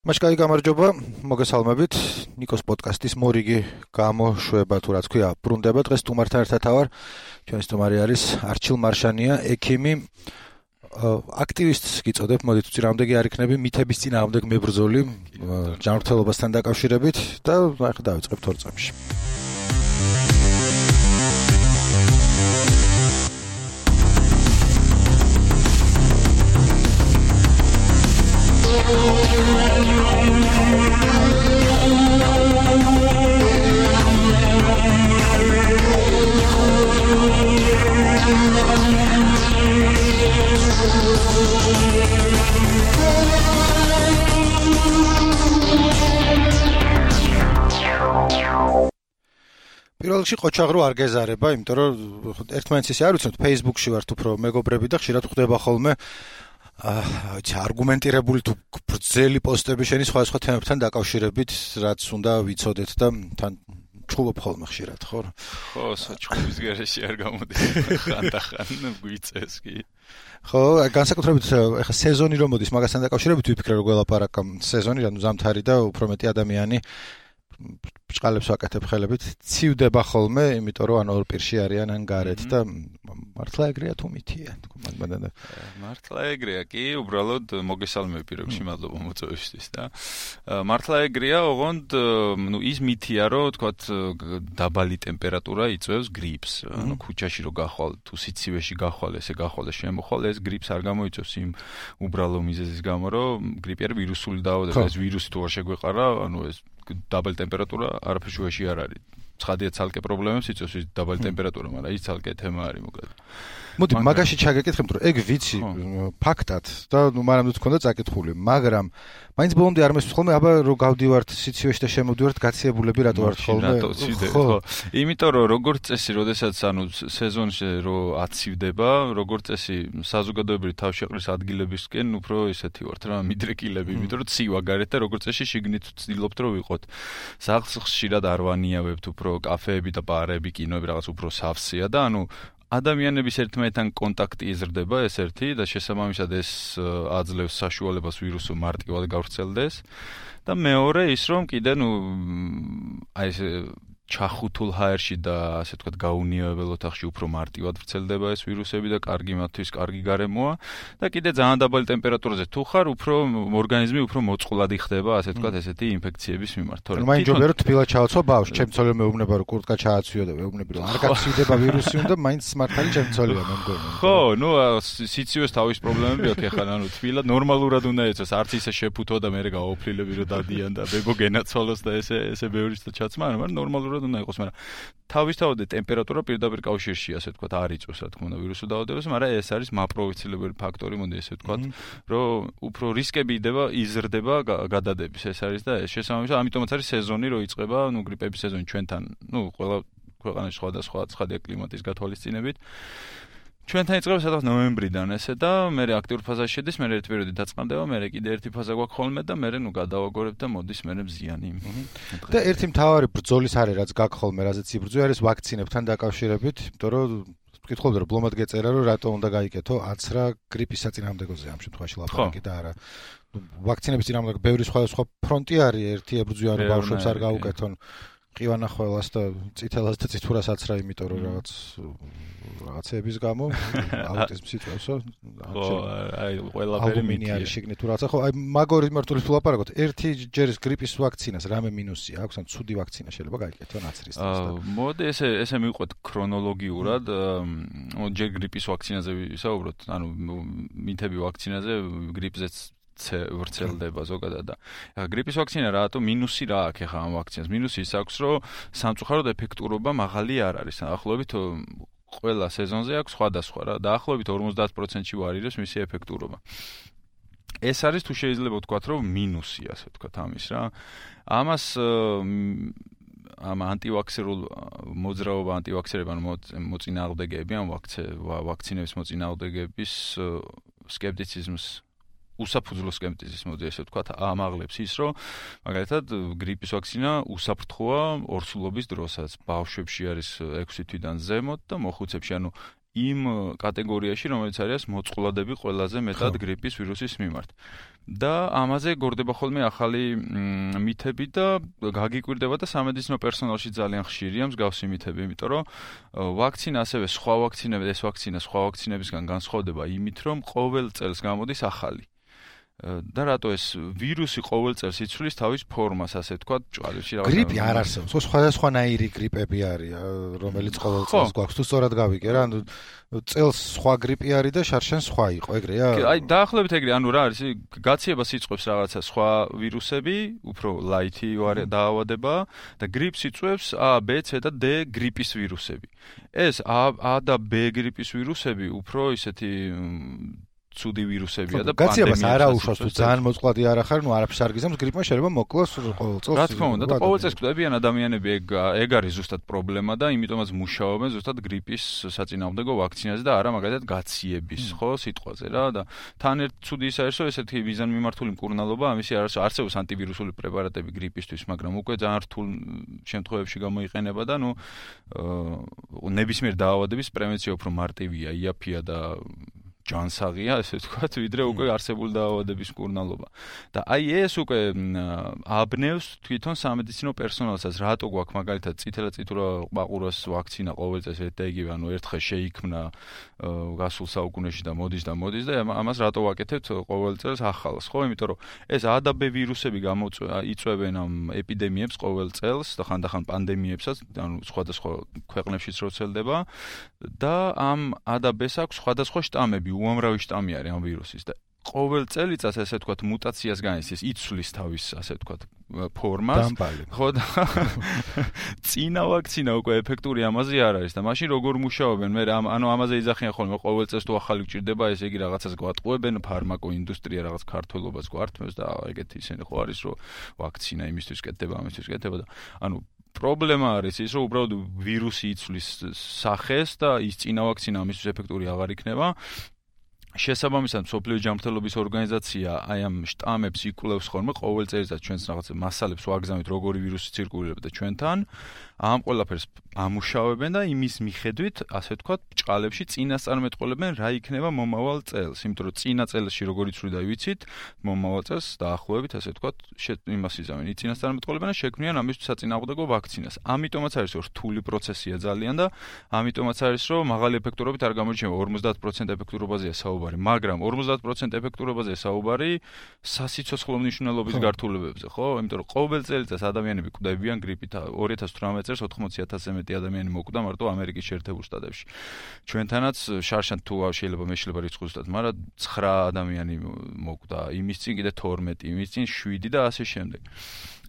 Მაშკაი გამარჯობა, მოგესალმებით. ნიკოს პოდკასტის მორიგი გამოშვება თუ რაც ქვია, ბრუნდება დღეს სტუმართან ერთად ავარ. ჩვენი სტუმარი არის არჩილ მარშანია, ექიმი. აქტივისტს გიწოდებ, მოდით უცი რამდენი არ იქნები მითების წინააღმდეგ მებრძოლი ჯანმრთელობასთან დაკავშირებით და ახლა დავიწყებთ 2 წამში. პირველ რიგში ყოჩაღრო არ გეზარება, იმიტომ რომ ერთმანეთს ისე არ ვიცნობთ, Facebook-ში ვართ უფრო მეგობრები და ხშირად ხვდება ხოლმე არგუმენტირებული თუ გრძელი პოსტები შენი სხვადასხვა თემებთან დაკავშირებით, რაც უნდა ვიცოდეთ და თან ჩხუბობ ხოლმე ხშირად, ხო? ხო, საჩხუბის გარეშე არ გამოდის. ხანდახან გვიწევს კი. ხო, განსაკუთრებით ეხა სეზონი რომ მოდის მაგასთან დაკავშირებით ვიფიქრე რომ გველაპარაკ სეზონი, ანუ ზამთარი და უფრო მეტი ადამიანი ბჭყალებს ვაკეთებ ხელებით, ცივდება ხოლმე, იმიტომ რომ ან ორ პირში არიან ან გარეთ და მართლა ეგრეა თუ მითია. მართლა ეგრეა კი, უბრალოდ მოგესალმები პირობში, მადლობა მოწვევისთვის და მართლა ეგრეა, ოღონდ ის მითია, რომ თქვათ დაბალი ტემპერატურა იწვევს გრიპს. ანუ ქუჩაში რო გახვალ, თუ სიცივეში გახვალ, ესე გახვალ და შემოხვალ, ეს გრიპს არ გამოიწვევს იმ უბრალო მიზეზის გამო, რომ გრიპი არის ვირუსული დაავადება, ეს ვირუსი თუ არ შეგვეყარა, ანუ ეს დაბალი ტემპერატურა არაფერში უეში არ არის. ცხადია ცალკე პრობლემებს იწვევს ის დაბალი ტემპერატურა, მაგრამ ის ცალკე თემა არის მოკლედ. მოდი მაგაში ჩაგეკითხებ, რომ ეგ ვიცი ფაქტად და ნუ მანამდე თქონდა წაკითხული, მაგრამ მაინც ბოლომდე არ მესმის ხოლმე, აბა რო გავდივართ სიცივეში და შემოვდივართ გაციებულები რატო ვართ ხოლმე? ხო. იმიტომ რომ როგორც წესი, როდესაც ანუ სეზონში რო აცივდება, როგორც წესი საზოგადოებრივი თავშეყრის ადგილებისკენ უფრო ესეთი ვართ რა, მიდრეკილები, იმიტომ რომ ცივა გარეთ და როგორც წესი შიგნით ვცდილობთ რომ ვიყოთ. სახლს ხშირად არ ვანიავებთ, უფრო კაფეები და ბარები, კინოები რაღაც უფრო სავსეა და ანუ ადამიანების ერთმანეთთან კონტაქტი იზრდება ეს ერთი და შესაბამისად ეს აძლევს საშუალებას ვირუსო მარტივად გავრცელდეს და მეორე ის რომ კიდე ნუ აი ეს ჩახუთულ ჰაერში და ასე ვთქვათ გაუნიებელ ოთახში უფრო მარტივად ვრცელდება ეს ვირუსები და კარგი მათთვის კარგი გარემოა და კიდე ძალიან დაბალი ტემპერატურაზე თუ ხარ უფრო ორგანიზმი უფრო მოწყვლადი ხდება ასე ვთქვათ ესეთი ინფექციების მიმართ თორემ მაინც ჯობია რომ თბილად ჩააცვა ბავშვს ჩემ ცოლი მეუბნება რომ კურტკა ჩააცვიო და მეუბნები რომ არ გაცივდება ვირუსი უნდა მაინც მართალი ჩემ ცოლია მე მგონი ხო ნუ სიცივეს თავის პრობლემები აქვს ეხლა ანუ თბილად ნორმალურად უნდა ეცოს არც ისე შეფუთო და მე გაოფლილები რომ დადიან და ბებო გენაცვალოს და ესე ბევრიც და ჩაცმა მაგრამ ნორმალურად უნდა იყოს, მაგრამ თავისთავად ტემპერატურა პირდაპირ კავშირშია, ასე ვთქვათ, არ იწვევს, რა თქმა უნდა, ვირუსულ დაავადებას, მაგრამ ეს არის მაპროვოცილებელი ფაქტორი, მოდი ესე ვთქვათ, რომ უფრო რისკები იზრდება გადადების, ეს არის და ეს შესაბამისად, ამიტომაც არის სეზონი, რომ იწყება, ნუ გრიპების სეზონი ჩვენთან, ნუ ყველა ქვეყანაში სხვადასხვა ცხადია კლიმატის გათვალისწინებით. ჩვენთან იწყება სადღაც ნოემბრიდან ესე და მე აქტიურ ფაზაში შედის, მე ერთი პერიოდი დაწყამდება, მე კიდე ერთი ფაზა გვაქვს ხოლმე და მე ნუ გადავაგორებ და მოდის მე ზიანი. და ერთი მთავარი ბრძოლის არის, რაც გაქვს ხოლმე, რაზეც იბრძვია, არის ვაქცინებთან დაკავშირებით, იმიტომ რომ ვკითხულობდი რომ ბლომად გეწერა, რომ რატო უნდა გაიკეთო აცრა გრიპის საწინააღმდეგოზე ამ შემთხვევაში ლაპარაკი და არა. ვაქცინების წინააღმდეგ ბევრი სხვადასხვა ფრონტი არის, ერთი ებრძვიან რომ ბავშვებს არ გაუკეთონ ყივანახველას და წითელას და წითურასაც რა, იმიტომ რომ რაღაცების გამო აუტიზმს იწვევსო. ხო, აი ყველაფერი მინიარი შიგნით თუ რაღაცა. ხო, აი მაგორი მარტოლის ლაპარაკობთ. ერთი ჯერის გრიპის ვაქცინას რამე მინუსი აქვს, ან ცუდი ვაქცინა შეიძლება გაიკეთონ აცრის დროს. მოდი ესე მივყვეთ ქრონოლოგიურად, ჯერ გრიპის ვაქცინაზე ვისაუბროთ, ანუ მითები ვაქცინაზე გრიპზეც ვრცელდება ზოგადად და გრიპის ვაქცინა რატო მინუსი რა აქვს ახლა ამ ვაქცინას? მინუსი ის აქვს, რომ სამწუხაროდ ეფექტურობა მაღალი არ არის. ახლობით ყველა სეზონზე აქვს სხვადასხვა რა, დაახლოებით 50%-ში ვარირებს მისი ეფექტურობა. ეს არის თუ შეიძლება ვთქვათ, რომ მინუსი, ასე ვთქვათ ამის რა. ამას ამ ანტივაქსერულ მოძრაობა ანტივაქსერები ან მოწინააღმდეგეები ამ ვაქცინების მოწინააღმდეგეების სკეპტიციზმს უსაფუძვლო სკეპტიციზმს მოდი ესე ვთქვათ, ამაღლებს ის, რომ მაგალითად გრიპის ვაქცინა უსაფრთხოა ორსულობის დროსაც. ბავშვებში არის 6 თვიდან ზემოთ და მოხუცებში, ანუ იმ კატეგორიაში, რომელიც არის მოწყვლადები ყველაზე მეტად გრიპის ვირუსის მიმართ. და ამაზე გორდება ხოლმე ახალი მითები და გაგიკვირდება და სამედიცინო პერსონალში ძალიან ხშირია მსგავსი მითები, იმიტომ რომ ვაქცინა ასევე სხვა ვაქცინები, ეს ვაქცინა სხვა ვაქცინებისგან განსხვავდება იმით, რომ ყოველ წელს გამოდის ახალი. და რატო ეს ვირუსი ყოველ წელს იცვლის თავის ფორმას, ასე ვთქვათ, ჭვალებში რაღაც. გრიპი არ არსებობს, სხვადასხვანაირი გრიპები არის, რომელიც ყოველ წელს გვაქვს. თუ სწორად გავიგე რა, ანუ წელს სხვა გრიპი არის და შარშან სხვა იყო, ეგრეა? აი, დაახლოებით ეგრე, ანუ რა არის, გაციებას იწვევს რაღაცა სხვა ვირუსები, უფრო ლაითი დაავადება და გრიპს იწვევს A, B, C და D გრიპის ვირუსები. ეს A და B გრიპის ვირუსები უფრო ისეთი ცუდი ვირუსებია და გაციებას არ აუშვას თუ ძალიან მოწყვლადი არ ახარ, ნუ არაფერს არ გიზამს, გრიპმა შეიძლება მოკლოს ყოველ წელს. რა თქმა უნდა, და ყოველ წელს კვდებიან ადამიანები, ეგ არის ზუსტად პრობლემა და იმიტომაც მუშაობენ ზუსტად გრიპის საწინააღმდეგო ვაქცინაზე და არა მაგალითად გაციების, ხო, სიტყვაზე რა და თან ერთ ცუდი ის არის, რომ ესეთი მიზანმიმართული მკურნალობა, ამისი არსებობს ანტივირუსული პრეპარატები გრიპისთვის, მაგრამ უკვე ძალიან რთულ შემთხვევებში გამოიყენება და ნუ ნებისმიერ დაავადების პრევენცია უფრო მარტივია, იაფია და ჯანსაღია, ესე ვთქვათ, ვიდრე უკვე არსებული დაავადების მკურნალობა. და აი ეს უკვე აბნევს თვითონ სამედიცინო პერსონალსაც, რატო გვაქვს მაგალითად წითელა-წითურა ყაყურას ვაქცინა ყოველ წელს ერთ და იგივე, ანუ ერთხელ შეიქმნა გასულ საუკუნეში და მოდის და ამას რატო ვაკეთებთ ყოველ წელს ახალს, ხო? იმიტომ რომ ეს A და B ვირუსები იწვევენ ამ ეპიდემიებს ყოველ წელს და ხანდახან პანდემიებსაც, ანუ სხვადასხვა ქვეყნებშიც როცელდება და ამ A და B-ს აქვს სხვადასხვა შტამები, უამრავი შტამი არის ამ ვირუსის და ყოველ წელიწადს ასე ვთქვათ მუტაციას განიცდის, იცვლის თავის ასე ვთქვათ ფორმას. ხო და წინა ვაქცინა უკვე ეფექტური ამაზე არ არის და მაშინ როგორ მუშაობენ? მე ანუ ამაზე იძახიან ხოლმე ყოველ წელს თუ ახალი გჭირდება, ესე იგი რაღაცას გვატყუებენ, ფარმაკო ინდუსტრია რაღაც ქართველობას გვართმევს და ეგეთი ისინი ხო არის, რომ ვაქცინა იმისთვის კეთდება, ამისთვის კეთდება და ანუ პრობლემა არის ის, რომ უბრალოდ ვირუსი იცვლის სახეს და ის წინა ვაქცინა ამისთვის ეფექტური აღარ იქნება. შესაბამისად, მსოფლიო ჯანმრთელობის ორგანიზაცია აი ამ შტამებს იკვლევს ხოლმე ყოველ წელიწადს ჩვენს რაღაც მასალებს ვაგზავნით, როგორი ვირუსი ცირკულირებდა ჩვენთან. ამ ყველაფერს ამუშავებენ და იმის მიხედვით, ასე ვთქვათ, ბჭყალებში წინასწარმეტყველებენ რა იქნება მომავალ წელს. იმიტომ რომ წინა წელში როგორ იცვლიდა ვიცით, მომავალ წელს დაახლოებით, ასე ვთქვათ, იმას იზამენ. წინასწარმეტყველებენ და შექმნიან ამისთვის საწინააღმდეგო ვაქცინას. ამიტომაც არის, რომ რთული პროცესია ძალიან და ამიტომაც არის, რომ მაღალი ეფექტურობით არ გამოირჩევა 50% ეფექტურობაზეა საუბარი, მაგრამ 50% ეფექტურობაზეა საუბარი სასიცოცხლო მნიშვნელობის გართულებებზე, ხო? იმიტომ რომ ყოველ წელიწადს ადამიანები კვდებიან გრიპით. 2018 წელს 80,000-ზე მეტი ადამიანი მოკვდა მარტო ამერიკის შეერთებულ შტატებში. ჩვენთანაც შარშან თუ შეიძლება მეშლება რიცხვი ზუსტად, მაგრამ 9 ადამიანი მოკვდა, იმის წინ კიდე 12, იმის წინ 7 და ასე შემდეგ.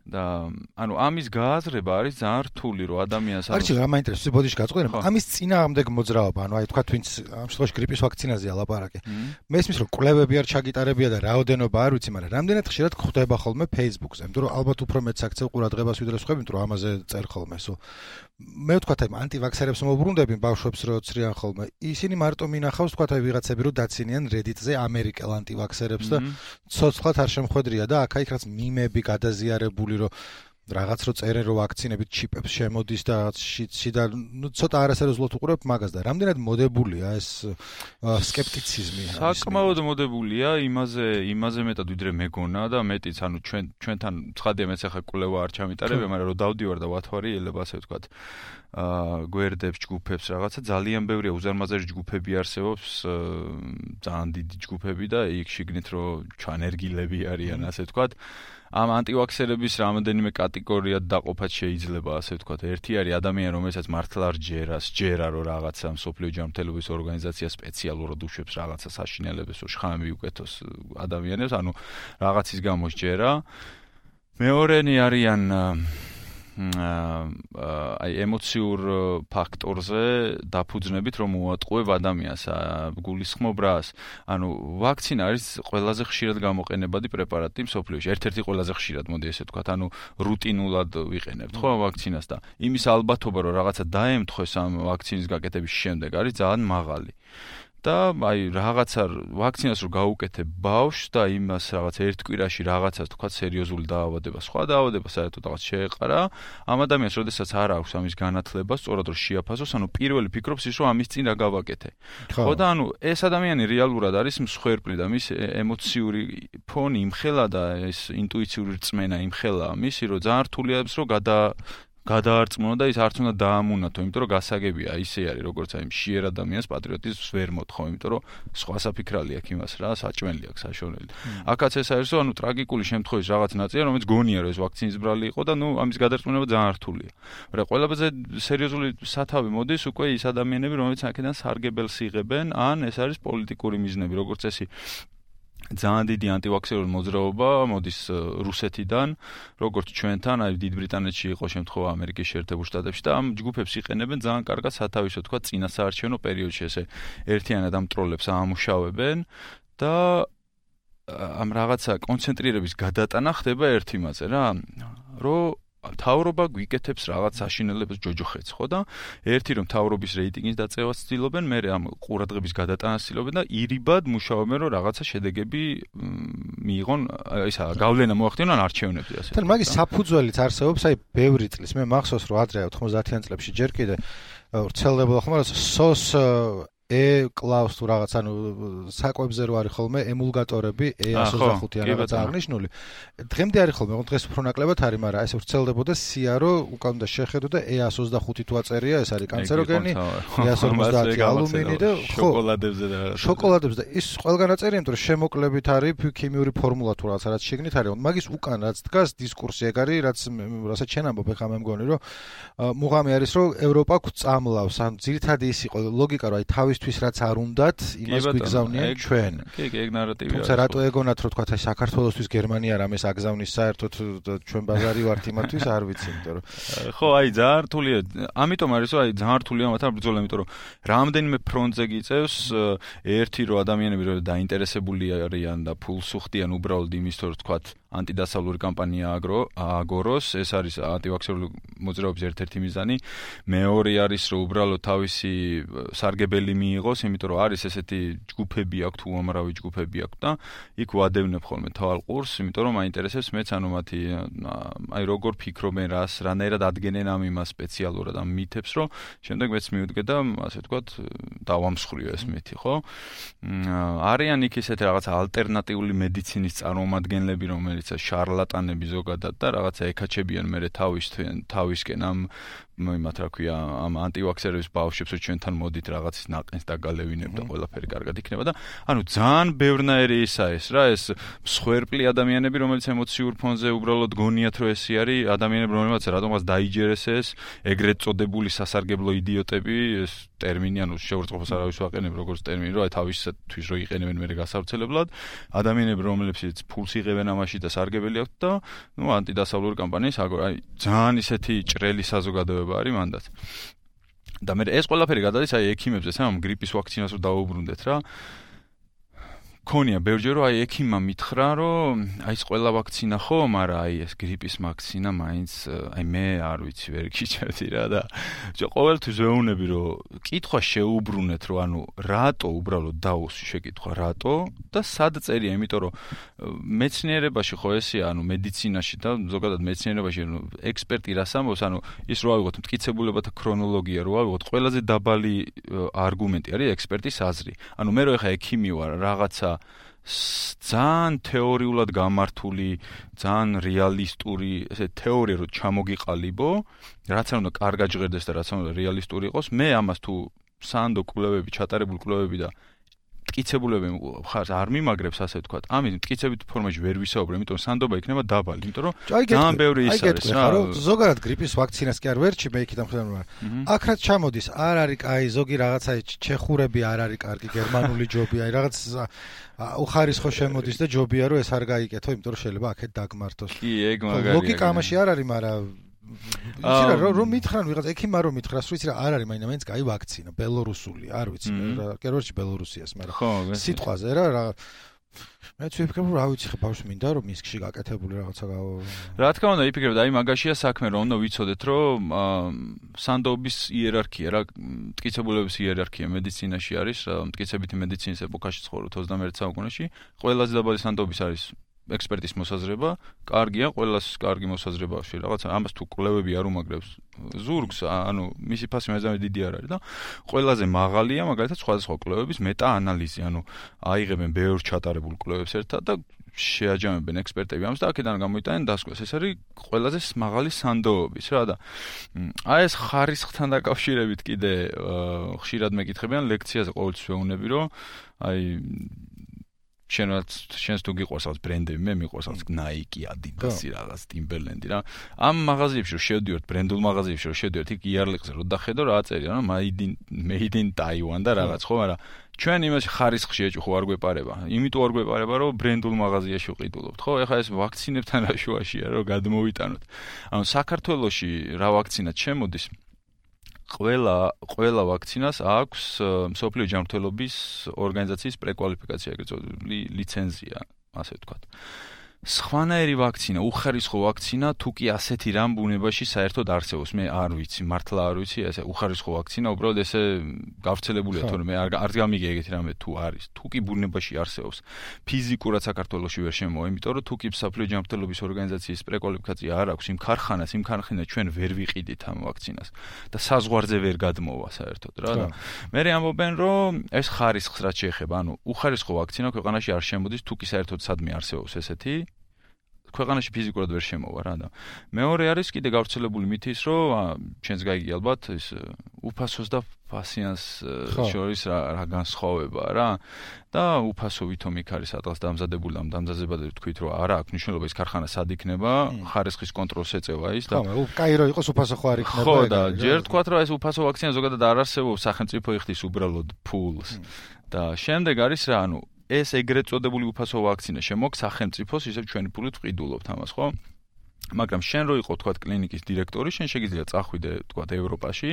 და ანუ ამის გააზრება არის ძალიან რთული, რომ ადამიანს არის რა მაინტერესებს ბოდიში გაწყდა, ამის წინააღმდეგ მოძრაობა, ანუ აი თქვა ვინც ამ შემთხვევაში გრიპის ვაქცინაზეა ლაპარაკი. მესმის რომ კვლევები არ ჩაგიტარებია და რაოდენობა არ ვიცი, მაგრამ რამდენად ხშირად ხდება ხოლმე Facebook-ზე, იმიტომ რომ ალბათ უფრო მეც აქცევ ყურადღებას ვიდრე სხვები, იმიტომ რომ ამაზე წერ ხოლმე სულ. მე ვთქვათ აი ანტივაქსერებს მოუბრუნდები ბავშვებს რო ცრიან ხოლმე. ისინი მარტო მინახავს ვთქვათ აი ვიღაცები რო დაცინიან Reddit-ზე ამერიკელ ანტივაქსერებს და ცოცხლად არ შემხვედრია და აქ-იქ რაც მიმები გადაზიარებული რომ რაღაც რო წერენ რომ ვაქცინებით ჩიპებს შემოდის და შიდა ნუ ცოტა არასერიოზულად უყურებ მაგას და რამდენად მოდებულია ეს სკეპტიციზმი საკმაოდ მოდებულია იმაზე მეტად ვიდრე მეგონა და მეტიც ანუ ჩვენთან ცხადია მეც ახლა კვლევა არ ჩამიტარებია მაგრამ რომ დავდივარ და ვათვარი ელება ასე ვთქვათ გვერდებს ჯგუფებს რაღაცა ძალიან ბევრია უზარმაზარი ჯგუფები არსებობს ძალიან დიდი ჯგუფები და იქ შიგნით რომ ჩანერგილები არიან ასე ვთქვათ ამ ანტივაქსერების რამდენიმე კატეგორიად დაყოფად შეიძლება ასე ვთქვათ. ერთი არის ადამიანი, რომელსაც მართლა სჯერა რომ რაღაცა მსოფლიო ჯანმრთელობის ორგანიზაცია სპეციალურად უშვებს რაღაცა საშინელებას, რომ შხამი მიუკეთოს ადამიანებს, ანუ რაღაცის გამო სჯერა. მეორენი არიან აი ემოციურ ფაქტორზე დაფუძნებით რომ მოატყუებ ადამიანს გულისხმობრას ანუ ვაქცინა არის ყველაზე ხშირად გამოყენებადი პრეპარატი მსოფლიოში ერთ-ერთი ყველაზე ხშირად მოდი ესე ვთქვათ ანუ რუტინულად ვიყენებთ ხო ვაქცინას და იმის ალბათობა რომ რაღაცა დაემთხვეს ამ ვაქცინის გაკეთების შემდეგ არის ძალიან მაღალი და აი რაღაცა ვაქცინას რო გაუკეთებ ბავშვს და იმას რაღაც ერთ კვირაში რაღაცას თქვა სერიოზული დაავადება, სხვა დაავადება საერთოდ რაღაც შეეყარა, ამ ადამიანს როდესაც არ აქვს ამის განათლება, სწორად რომ შეაფასოს, ანუ პირველი ფიქრობს ის რომ ამის წინ რა გავაკეთე. ხო და ანუ ეს ადამიანი რეალურად არის მსხვერპლი და მის ემოციური ფონი იმხელა და ეს ინტუიციური რწმენა იმხელა მისი რომ ძალიან რთულია რომ გადაარწმუნო და ის არც უნდა დაამუნათო, იმიტომ რომ გასაგებია, ისე არის, როგორც აი მშიერ ადამიანს პატრიოტიზმს ვერ მოთხოვ, იმიტომ რომ სხვა საფიქრალი აქვს იმას რა, საჭმელი აქვს საშონელი. აქაც ეს არის, რომ ანუ ტრაგიკული შემთხვევის რაღაც ნაწილია, რომელიც გონია რომ ეს ვაქცინის ბრალი იყო და ნუ ამის გადარწმუნება ძალიან რთულია. მაგრამ ყველაზე სერიოზული სათავე მოდის უკვე ის ადამიანები, რომლებიც აქედან სარგებელს იღებენ, ან ეს არის პოლიტიკური მიზნები, როგორც წესი ძალიან დიდი ანტივაქსერული მოძრაობა მოდის რუსეთიდან, როგორც ჩვენთან, აი დიდ ბრიტანეთში იყო შემთხვევა ამერიკის შეერთებულ შტატებში და ამ ჯგუფებს იყენებენ ძალიან კარგად სათავისო თქვა წინასაარჩევნო პერიოდში ესე ერთიანად ამ ტროლებს აამუშავებენ და ამ რაღაცა კონცენტრირების გადატანა ხდება ერთ იმაზე რა, რომ თავრობა გვიკეთებს რაღაც საშინელებას ჯოჯოხეთს, ხო და ერთი რომ თავრობის რეიტინგის დაწევას ცდილობენ, მე ამ ყურადღების გადატანას ცდილობენ და ირიბად მუშაობენ რომ რაღაცა შედეგები მიიღონ, ისა გავლენა მოახდინონ არჩევნებზე ასე. თან მაგის საფუძველიც არსებობს, აი ბევრი წლის მე მახსოვს რომ ადრე 90-იან წლებში ჯერ კიდე ვრცელდებოდა ხომ რა სოს კლაუს თუ რაღაც ანუ საკვებზე რო არის ხოლმე ემულგატორები E125 ან რაღაც აღნიშნული. დღემდე არის ხოლმე, დღეს უფრო ნაკლებად არის, მაგრამ ეს ვრცელდებოდა სია რო უკან უნდა შეხედო და E125 თუ აწერია, ეს არის კანცეროგენი, E150 ალუმინი და შოკოლადებზე და რაღაც. შოკოლადებზე და ის ყველგან აწერია, იმიტომ რომ შემოკლებით არის ქიმიური ფორმულა თუ რაღაც შეგნით არის. მაგის უკან რაც დგას დისკურსი ეგ არის, რასაც შენ ამბობ, ეხლა მე მგონი რომ მუღამი არის რომ ევროპა გვწამლავს, ან ძირითადი ის იყო ლოგიკა რომ აი თავისთვის რაც არ უნდათ, იმას გვიგზავნიან ჩვენ. კი, ეგ ნარატივია. თუმცა რატო ეგონათ რომ თქვა აი საქართველოსთვის გერმანია რამეს აგზავნის საერთოდ ჩვენ ბაზარი ვართ იმათთვის არ ვიცი, იმიტომ რომ ხო, აი ძალიან რთულია. ამიტომ არის რომ აი ძალიან რთულია მათთან ბრძოლა, იმიტომ რომ რამდენიმე ფრონტზე გიწევს, ერთი რომ ადამიანები რომ დაინტერესებული არიან და ფულს უხდიან უბრალოდ იმის რომ თქვა ანტიდასავლური კამპანია აგოროს, ეს არის ანტივაქსერული მოძრაობის ერთ-ერთი მიზანი. მეორე არის რომ უბრალოდ თავისი სარგებელი მიიღოს, იმიტომ რომ არის ესეთი ჯგუფები აქვს თუ უამრავი ჯგუფები აქვს და იქ ვადევნებ ხოლმე თვალყურს, იმიტომ რომ მაინტერესებს მეც ანუ მათი აი როგორ ფიქრობენ, რანაირად ადგენენ ამ იმას სპეციალურად ამ მითებს, რომ შემდეგ მეც მივდგე და ასე ვთქვათ დავამსხვრიო ეს მითი, ხო? არიან იქ ესეთი რაღაც ალტერნატიული მედიცინის წარმომადგენლები, რომელიც შარლატანები ზოგადად და რაღაცა ეკაჩებიან მე თავისკენ ამ იმათ რა ქვია ამ ანტივაქსერების ბავშვებს რომ ჩვენთან მოდით რაღაცის ნაყენს დაგალევინებ და ყველაფერი კარგად იქნება და ანუ ძალიან ბევრნაირი ისაა ეს რა ეს მსხვერპლი ადამიანები რომელიც ემოციურ ფონზე უბრალოდ გონიათ რომ ესე არის ადამიანები რომელსაც რატომღაც დაიჯერეს ეს ეგრეთ წოდებული სასარგებლო იდიოტები ეს ტერმინი ანუ შეურწყყოფას არავის ვაყენებ როგორც ტერმინი რომ აი თავისათვის რო იყენებენ მე გასავრცელებლად ადამიანები რომლებიც ფულს იღებენ ამაში და სარგებელი აქვთ და ნუ ანტიდასავლური კამპანიის აი ძალიან ისეთი ჭრელი საზოგადოება არის მანდაც. და მე ეს ყველაფერი გადადის აი ექიმებზე, სამ გრიპის ვაქცინას რო დაუბრუნდეთ რა. ქონია ბევრჯერ რომ აი ექიმმა მითხრა რომ აი ეს ყველა ვაქცინა ხო, მაგრამ აი ეს გრიპის ვაქცინა მაინც აი მე არ ვიცი ვერ გიჩვენდი რა და ყოველთვის ვეუბნები რომ კითხვა შეუბრუნეთ რომ ანუ რატო უბრალოდ დაუსვი შეკითხვა რატო და სად წერია, იმიტომ რომ მეცნიერებაში ხო ესეა ანუ მედიცინაში და ზოგადად მეცნიერებაში ექსპერტი რას ამბობს, ანუ ის რო ავიღოთ მტკიცებულებათა ქრონოლოგია რო ავიღოთ ყველაზე დაბალი არგუმენტი არის ექსპერტის აზრი. ანუ მე რო ეხა ექიმი ვარ რაღაცა ძალიან თეორიულად გამართული, ძალიან რეალისტური, ესე თეორია რო ჩამოგიყალიბო, რაც არ უნდა კარგად ჟღერდეს და რაც არ უნდა რეალისტური იყოს, მე ამას თუ სანდო კვლევები, ჩატარებული კვლევები და მტკიცებულებები ხარ არ მიმაგრებს ასე ვთქვათ. ამით მტკიცებით ფორმაში ვერ ვისაუბრე, იმიტომ რომ სანდობა იქნება დაბალი, იმიტომ რომ ძალიან ბევრი ის არის რა. ზოგადად გრიპის ვაქცინას კი არ ვერჩი მე იქიდან ხედავ რომ აქ რაც ჩამოდის, არ არის კაი ზოგი რაღაცა ჩეხურები არ არის კარგი, გერმანული ჯობია, რაღაც უხარისხო შემოდის და ჯობია რომ ეს არ გაიკეთო, იმიტომ რომ შეიძლება აქეთ დაგმართოს. კი, ეგ მაგარია. ლოგიკა ამაში არ არის, მაგრამ იცი რა რომ მითხრან ვიღაც ექიმმა რომ მითხრას რომ იცი რა არ არის მაინც კაი ვაქცინა ბელორუსული არ ვიცი რა კერორში ბელორუსიას მაგრამ სიტყვაზე რა მეც ვიფიქრებ, რა ვიცი ხე ბავშვი მინდა რომ მისკში გაკეთებული რაღაცა რა თქმა უნდა, ვიფიქრებ, აი მაგაშია საქმე, რომ უნდა ვიცოდეთ, რომ სანდოობის იერარქია, რა მტკიცებულების იერარქია მედიცინაში არის, მტკიცებითი მედიცინის ეპოქაში ცხოვრობთ 21 საუკუნეში, ყველაზე დაბალი სანდოობის არის ექსპერტის მოსაზრება, კარგია, ყველას კარგი მოსაზრებაში, რაღაცა ამას თუ კვლევები არ უმაგრებს ზურგს, ანუ მისი ფასი მეზამე დიდი არ არის და ყველაზე მაღალია, მაგალითად, სხვადასხვა კვლევების მეტა-ანალიზი, ანუ აიღებენ ბევრ ჩატარებულ კვლევებს ერთად და შეაჯამებენ ექსპერტები ამას და აქედან გამოიტანენ დასკვეს. ეს არის ყველაზე მაღალი სანდოობის რა და აი ეს ხარისხთან დაკავშირებით კიდე ხშირად მეკითხებიან ლექციაზე ყოველთვის ვეუბნები, რომ აი შენს თუ გიყვარს რაღაც ბრენდები, მე მიყვარს რაღაც Nike, Adidas, რაღაც Timberland რა. ამ მაღაზიებში რომ შევდივართ, ბრენდულ მაღაზიებში რომ შევდივართ, იქ იარლიყზე რომ დახედო რა აწერია, რა made in Taiwan და რაღაც, ხო, მაგრამ ჩვენ იმაში ხარისხში ეჭვ არ გვეპარება. იმიტომ არ გვეპარება, რომ ბრენდულ მაღაზიაში ვყიდულობთ, ხო? ეხლა ეს ვაქცინებთან რა შუაშია, რომ გადმოვიტანოთ. ანუ საქართველოში რა ვაქცინაც შემოდის? ყველა ვაქცინას აქვს მსოფლიო ჯანმრთელობის ორგანიზაციის პრეკვალიფიკაცია, ეგრეთ წოდებული ლიცენზია, ასე ვთქვათ. სხვანაირი ვაქცინა, უხარისხო ვაქცინა, თუ კი ასეთი რამ ბუნებაში საერთოდ არსებობს, მე არ ვიცი, მართლა არ ვიცი, ესე უხარისხო ვაქცინა, უბრალოდ ესე გავრცელებულია, თორემ არ გამიგე ეგეთი რამე თუ არის, თუ კი ბუნებაში არსებობს. ფიზიკურად საქართველოში ვერ შემოვა, იმიტომ რომ თუ კი მსოფლიო ჯანმრთელობის ორგანიზაციის პრეკვალიფიკაცია არ აქვს იმ ქარხანას ჩვენ ვერ ვიყიდით ამ ვაქცინას და საზღვარზე ვერ გადმოვა საერთოდ რა და მე ამბობენ, რომ ეს ხარისხს რაც შეეხება, ანუ უხარისხო ვაქცინა ქვეყანაში არ შემოდის, თუ კი საერთოდ სადმე არსებობს ესეთი ქვეყანაში ფიზიკურად ვერ შემოვა რა და მეორე არის კიდე გავრცელებული მითი ის რომ ჩვენს გაიგე ალბათ ის უფასოს და პასიანს შორის რა განსხვავება რა და უფასო ვითომ იქ არის სადღაც დამზადებული ამ დამზადებაზე თქვით რომ არა აქვს მნიშვნელობა ის ქარხანა სად იქნება ხარისხის კონტროლს ეწევა ის და ხო კაირო იყოს უფასო ხო არ იქნება ხო და ჯერ თქვათ რომ ეს უფასო ვაქცინა ზოგადად არ არსებობს სახელმწიფო იხდის უბრალოდ ფულს და შემდეგ არის რა ანუ ეს ეგრეთ წოდებული უფასო ვაქცინა შემოაქვს სახელმწიფოს ისევ ჩვენი ფულით ვყიდულობთ ამას ხო მაგრამ შენ რო იყო თქვა კლინიკის დირექტორი შენ შეგიძლია წახვიდე თქვა ევროპაში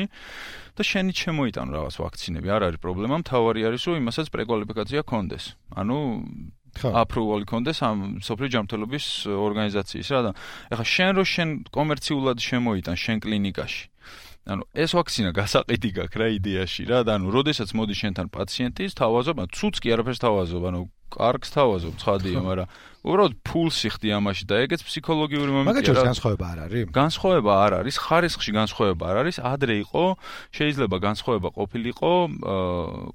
და შენი შემოიტანო რაღაც ვაქცინები არ არის პრობლემა მთავარი არის რომ იმასაც პრეკვალიფიკაცია ქონდეს ანუ აპრუვალი ქონდეს ამ სოფლიო ჯანმრთელობის ორგანიზაციის რა და ეხლა შენ კომერციულად შემოიტან შენ კლინიკაში ანუ ეს ვაქცინა გასაყიდი გაქვს რა იდეაში რა და ანუ როდესაც მოდის შენთან პაციენტი თავაზობ ცუც კი არაფერს თავაზობ ანუ კარგს თავაზობ ცხადია მაგრამ უბრალოდ ფულს იხდი ამაში და ეგეც ფსიქოლოგიური მომენტია რა განსხვავება არ არის განსხვავება არ არის ხარისხში განსხვავება არ არის ადრე იყო შეიძლება განსხვავება ყოფილიყო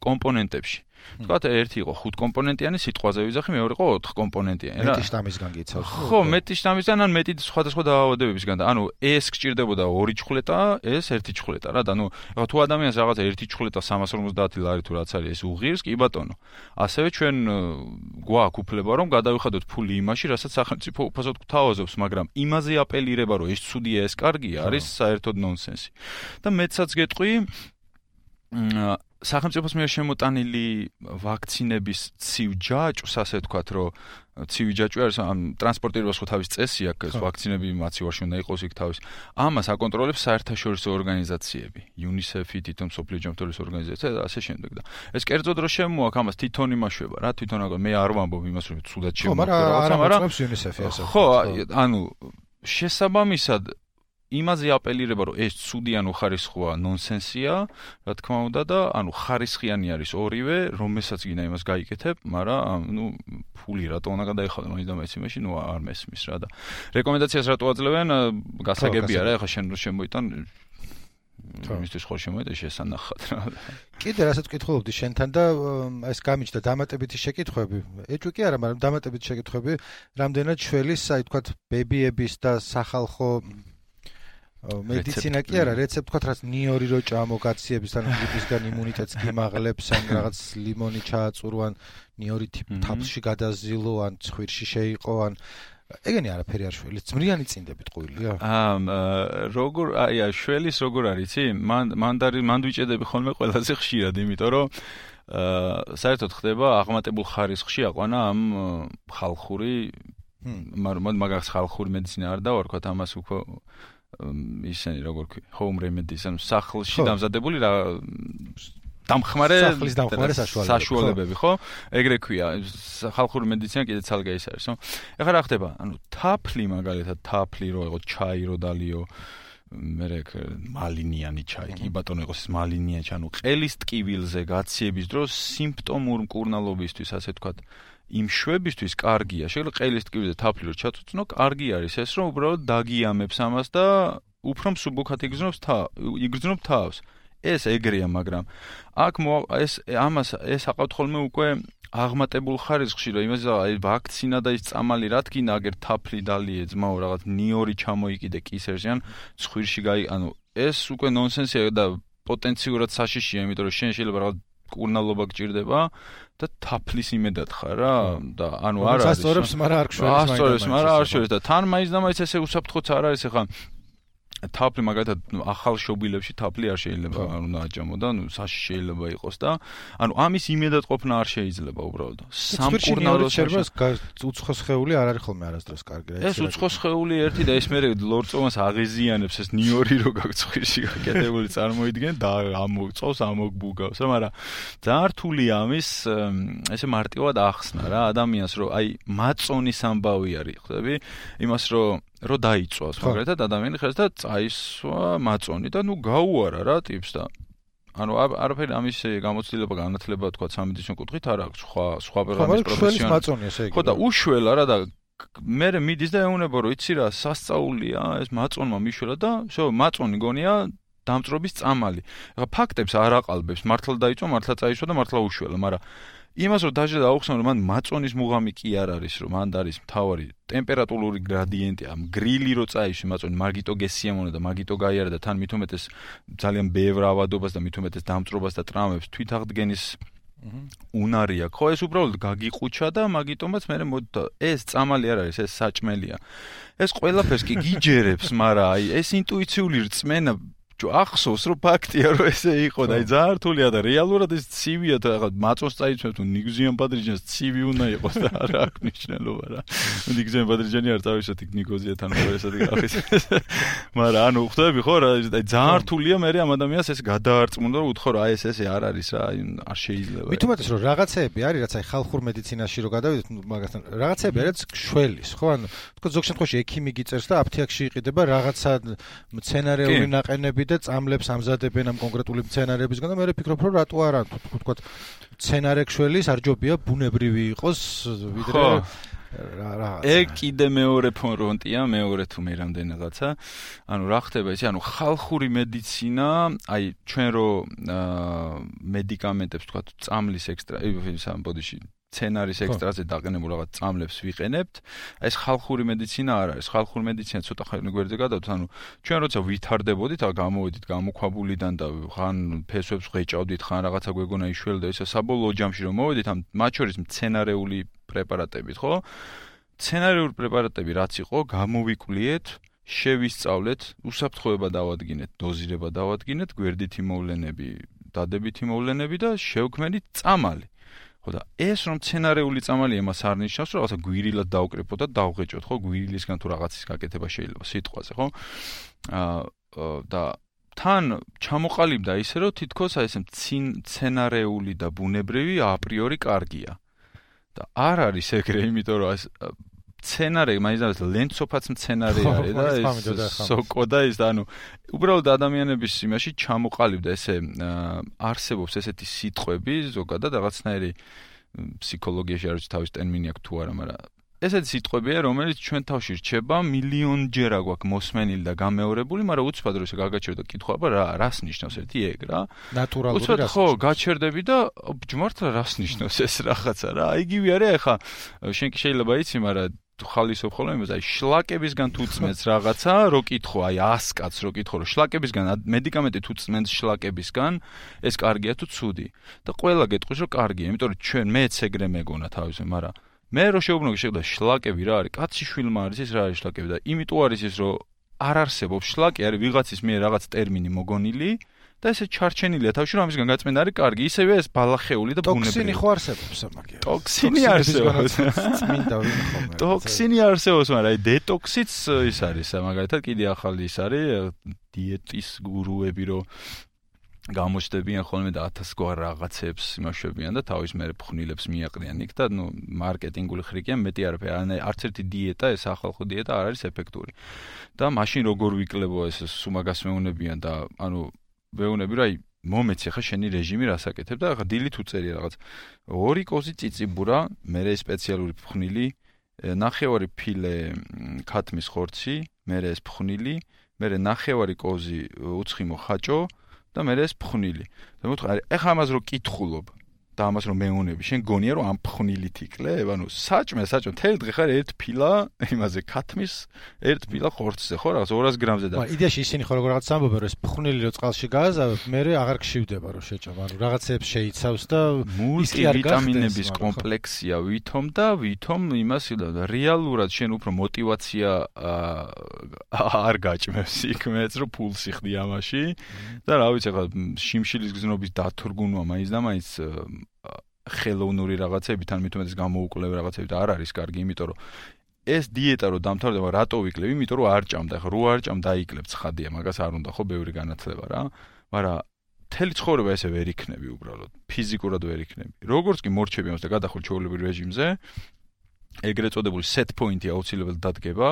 კომპონენტებში თქვათ ერთი იყო 5 კომპონენტიანი სიტყვაზე ვიზახი მეორე იყო 4 კომპონენტიანი რა მეტი შტამისგან გიცავს ხო მეტი შტამისგან ან მეტი სხვადასხვა დაავადებებისგან და ანუ ეს გჭირდებოდა 2 ჩხლეტა ეს 1 ჩხლეტა რა და ანუ ეხლა თუ ადამიანს რაღაცა 1 ჩხლეტა 350 ლარი თუ რაც არის ეს უღირს კი ბატონო ასევე ჩვენ გვაქვს უფლება რომ გადავიხადოთ ფული იმაში რასაც სახელმწიფო უფასოდ გვთავაზობს მაგრამ იმაზე აპელირება რომ ეს ცუდია ეს კარგია არის საერთოდ ნონსენსი და მეცაც გეტყვი სახელმწიფოს მიერ შემოტანილი ვაქცინების ცივ ჯაჭვს ასე ვთქვათ რომ ცივი ჯაჭვი არის ამ ტრანსპორტირებას ხო თავის წესი აქვს ვაქცინები მაცივარში უნდა იყოს იქ თავის ამას აკონტროლებს საერთაშორისო ორგანიზაციები UNICEF-ი თვითონ მსოფლიო ჯანმრთელობის ორგანიზაცია და ასე შემდეგ და ეს კერძოდ რომ შემოაქვს ამას თვითონ იმაშვება რა თვითონ მე არ ვამბობ იმას რომ ცუდად შემოაქვს მაგრამ UNICEF-ი ასე ხო ანუ შესაბამისად იმაზე აპელირება რომ ეს ცუდი ანუ ხარისხია ნონსენსია რა თქმა უნდა და ანუ ხარისხიანი არის ორივე რომელსაც გინდა იმას გაიკეთებ მაგრამ ნუ ფული რატო უნდა გადაიხადო მაინც და მაინც იმაში ნუ არ მესმის რა და რეკომენდაციას რატო აძლევენ გასაგებია რა ეხლა შენ რო შემოიტან მისთვის ხო შემოიტან შესანახად რა კიდე რასაც ვკითხულობდი შენთან და ეს გამიჩნდა დამატებითი შეკითხვები ეჭვი კი არა მაგრამ დამატებითი შეკითხვები რამდენად შველის აი თქვათ ბებიების და სახალხო მედიცინა კი არა რეცეპტ თქვათ რაც ნიორი რო ჭამოგაციების ან გრიპისგან იმუნიტეტს გიმაღლებს ან რაღაც ლიმონი ჩააწურო ან ნიორი თაფლში გადაზილო ან ცხვირში შეიყო ან ეგენი არაფერი არ შველის ძმრიანი წინდებით ყוילია როგორ აი შველის როგორ არის იცი მან ვიჭედები ხოლმე ყველაზე ხშირად იმიტომ რომ საერთოდ ხდება აღმატებულ ხარისხში აყვანა ამ ხალხური მაგას ხალხური მედიცინა არ დავარქვათ ამას უფრო ისენი როგორ ქვია home remedies ან სახლში დამზადებული რა დამხმარე საშუალებები, ხო? ეგრე ქვია, ხალხური მედიცინა კიდე ცალკე ის არის, ხო? ეხლა რა ხდება? ანუ თაფლი მაგალითად, თაფლი რო იყო, ჩაი რო დალიო, მერე მალინიანი ჩაი, კი ბატონო იყოს ეს მალინიანი ჩაი, ანუ ყელის ტკივილზე გაციების დროს სიმპტომურ მკურნალობისთვის, ასე ვთქვათ, იმ შვებისთვის კარგია. შეიძლება ყელის ტკივილზე თაფლი რო ჩაწუწნო, კარგი არის ეს, რომ უბრალოდ დაგიამებს ამას და უფრო მსუბუქად იგრძნობს თავს. ეს ეგრეა, მაგრამ აქ ეს აყავთ ხოლმე უკვე აღმატებულ ხარისხში, რომ იმაზე აი ვაქცინა და ის წამალი რა თქინა, აგერ თაფლი დალიე ძმაო რაღაც ნიორი ჩამოიკიდე კისერში ან ცხვირში ანუ ეს უკვე ნონსენსია და პოტენციურად საშიშია, იმიტომ რომ შენ შეიძლება რაღაც კურნალობა გჭირდება და თაფლის იმედად ხარ რა და ანუ არ არის. ასწორებს, მაგრამ არ გშვერის. ასწორებს, მაგრამ არ შორის და თან მაინც და მაინც ესე უსაფრთხოც არ არის ახლა თაფლი მაგალითად ახალ შობილებში თაფლი არ შეიძლება უნდა აჭამო და საში შეიძლება იყოს და ანუ ამის იმედად ყოფნა არ შეიძლება უბრალოდ სამკურნალო შერბას უცხო სხეული არ არის ხოლმე არასდროს კარგი რა ეს უცხო სხეული ერთი და ეს მე ლორწოვანს აღიზიანებს ეს ნიორი რო გაგწხვირში გაკეთებული წარმოიდგენ და ამოწავს ამოგბუგავს რა მაგრამ ძალიან რთულია ამის ესე მარტივად ახსნა რა ადამიანს რომ აი მაწონის ამბავი არის ხვდები იმას რომ დაიწვას მაგალითად ადამიანი ხერს და წაისვა მაწონი და ნუ გაუარა რა ტიპს და ანუ არაფერი ამის გამოცდილება განათლება თქვა სამედიცინო კუთხით არ აქვს სხვა პროგრამის პროფესიონალი ხო და უშველა რა და მე მიდის და ეუბნება რომ იცი რა სასწაულია ეს მაწონმა მიშველა და შო მაწონი გონია დამწრობის წამალი ეხლა ფაქტებს არ აყალბებს მართლა დაიწვა მართლა წაისვა და მართლა უშველა მაგრამ იმას რომ დაჟე აუხსნა რომ მან მაწონის მუღამი კი არ არის რომ მან არის მთავარი ტემპერატურული გრადიენტი ამ გრილი რო წაიში მაწონი მაგიტო გესიამონა და მაგიტო გაიარა და თან მithumetes ძალიან ბევრ ავადობას და მithumetes დამწრობას და ტრამებს თვითაღდგენის უნარია ხო ეს უბრალოდ გაგიყუჩა და მაგიტომაც მე ეს წამალი არ არის ეს საჭმელია ეს ყველაფერს კი გიჯერებს მაგრამ აი ეს ინტუიციული რწმენა ახსოვს რომ ფაქტია რომ ესე იყო და აი ძალიან რთულია და რეალურად ეს ცივია და რაღაც მაწონს წაიცვებს თუ ნიგზიან ბადრიჯანს ცივი უნდა იყოს და რა აქვს მნიშვნელობა რა ნიგზიან ბადრიჯანი არ წავისოთ იქ ნიგოზიათან ესეთი გახის მაგრამ ანუ ხვდები ხო რა აი ძალიან რთულია მე ამ ადამიანს ეს გადაარწმუნდა რომ უთხოვ რა აი ეს ესე არ არის რა აი არ შეიძლება მithumetes რომ რაღაცეები არის რაც აი ხალხურ მედიცინაში რო გადავიდეთ მაგასთან რაღაცეები არის მცველის ხო ანუ თქო ზოგ შემთხვევაში ექიმი გიწერს და აფთიაქში იყიდება რაღაცა მცენარეული ნაყენები და წამლებს ამზადებენ ამ კონკრეტული მცენარეებისგან და მე ვფიქრობ რომ რატო არა თქო მცენარექვშველი სარჯობია ბუნებრივი იყოს ვიდრე რა ეგ კიდე მეორე ფრონტია მეორე თუ მე რამდენიღაცა ანუ რა ხდება ისე ანუ ხალხური მედიცინა აი ჩვენ რო მედიკამენტებს თქვა წამლის ექსტრა სამ ბოდიში სცენარის ექსტრაზე დაყენებულ რაღაც წამლებს ვიყენებთ. ეს ხალხური მედიცინა არ არის. ხალხური მედიცინა ცოტა ხანი გვერდზე გადავთ, ანუ ჩვენ როცა ვითარდებოდით, გამოვედით გამოქვაბულიდან და ხან ფესვებს ღეჭავდით, ხან რაღაცა გვეგონა იშველდა, ისე საბოლოო ჯამში რომ მოვედით, ამ მათ შორის მცენარეული პრეპარატებით, ხო? მცენარეული პრეპარატები რაც იყო, გამოვიკვლიეთ, შევისწავლეთ, უსაფრთხოება დავადგინეთ, დოზირება დავადგინეთ, გვერდითი მოვლენები, დადებითი მოვლენები და შევქმნით წამალი. ხო და ეს რომ მცენარეული წამალია მას არ ნიშნავს რომ რაღაცა გვირილად დავკრიფოთ და დავღეჭოთ ხო გვირილისგან თუ რაღაცის გაკეთება შეიძლება სიტყვაზე ხო და თან ჩამოყალიბდა ისე რომ თითქოს აი ეს მცენარეული და ბუნებრივი აპრიორი კარგია და არ არის ეგრე იმიტომ რომ ეს მცენარე მაინც ლენცოფაც მცენარე არის და ეს სოკო და ის და ანუ უბრალოდ ადამიანების იმაში ჩამოყალიბდა ესე არსებობს ესეთი სიტყვები ზოგადად რაღაცნაირი ფსიქოლოგიაში არის თავის ტერმინი აქვს თუ არა მაგრამ ესეთი სიტყვებია რომელიც ჩვენ თავში რჩება მილიონჯერა გვაქვს მოსმენილი და გამეორებული მაგრამ უცბად რომ ესე გაგაჩერდა კითხვა რას ნიშნავს ერთი ეგ რა ნატურალური რას ხო გაჩერდები და მართლა რას ნიშნავს ეს რაღაცა რა იგივე არის ახლა შენ კი შეიძლება იცი მაგრამ თუ ხალისობ ხოლმე იმას აი შლაკებისგან თუ წმენს რაღაცა რო კითხო აი 100 კაცს რო კითხო რომ შლაკებისგან მედიკამენტი თუ წმენს შლაკებისგან ეს კარგია თუ ცუდი და ყველა გეტყვის რომ კარგია იმიტომ რომ ჩვენ მეც ეგრე მეგონა თავისე მაგრამ მე რო შეუბნოგი შეგდა შლაკები რა არის კაცი შვილმა არის ის რა არის შლაკები და იმიტომ არის ის რომ არ არსებობს შლაკი არის ვიღაცის მიერ რაღაც ტერმინი მოგონილი და ესე ჩარჩენილია თავში რომ ამისგან გაწმენდა არის კარგი ისევე ეს ბალახეული და ბუნებრივი ტოქსინი ხო არსებობს მაგია ტოქსინი არსებობს წმინდა ვინ ხოლმე ტოქსინი არსებობს მაგრამ აი დეტოქსიც ის არის მაგალითად კიდე ახალი ის არის დიეტის გურუები რომ გამოჩდებიან ხოლმე და 1000 გვარ რაღაცებს იმაშვებიან და თავის მერე ფხვნილებს მიაყრიან იქ და მარკეტინგული ხრიკიან მეტი არაფერი არც ერთი დიეტა ეს ახალხო დიეტა არ არის ეფექტური და მაშინ როგორ ვიკლებო ეს სუმაგას მეუნებიან და ვეუნები რა მომეცი ხა შენი რეჟიმი რასაკეთებ და ხა დილით უწერი რაღაც 2 კოზი წიწიბურა მერე სპეციალური ფხვნილი ნახევარი ფილე ქათმის ხორცი მერე ეს ფხვნილი მერე ნახევარი კოზი უცხიმო ხაჭო და მე ეს ფხვნილი. და მოთხრა, ეხა ამას რო კითხულობ და ამას რო მეუნები, შენ გონია რომ ამ ფხვნილით იკლებ? ანუ საჭმე, თელ დღე ხარ ერთ ფილა იმაზე ქათმის, ერთ ფილა ხორცზე, ხო, რაღაც 200 გრამზე და. მაგრამ იდეაში ისინი ხო რაღაც ამბობენ, რომ ეს ფხვნილი რო წყალში გააზავებ, მე აღარ გშივდება რომ შეჭამ. ანუ რაღაცებს შეიცავს და მულტივიტამინების კომპლექსია ვითომ იმას რეალურად შენ უფრო мотиваცია არ გაჭმევს იქ მეც რომ ფულს იხდი ამაში და რა ვიცი ხა შიმშილის გზნობის დათურგუნვა მაინც და მაინც ხელოვნური რაღაცებით ან მithumetes გამოუკლებ რაღაცებით არ არის კარგი, იმიტომ რომ ეს დიეტა რო დამთავრდება, რატო ვიკლებ? იმიტომ რომ არ ჭამდა, ხო, რო არ ჭამ დაიკლებ ცხადია, მაგას არ უნდა ხო ბევრი განათლება რა. მაგრამ მთელი ცხოვრება ესე ვერ იქნები უბრალოდ, ფიზიკურად ვერ იქნები. როგორც კი მორჩები ამას და გადახურ ჩვეულებრივ რეჟიმზე, ეგრეთ წოდებული set point-ი აუცილებლად დადგება.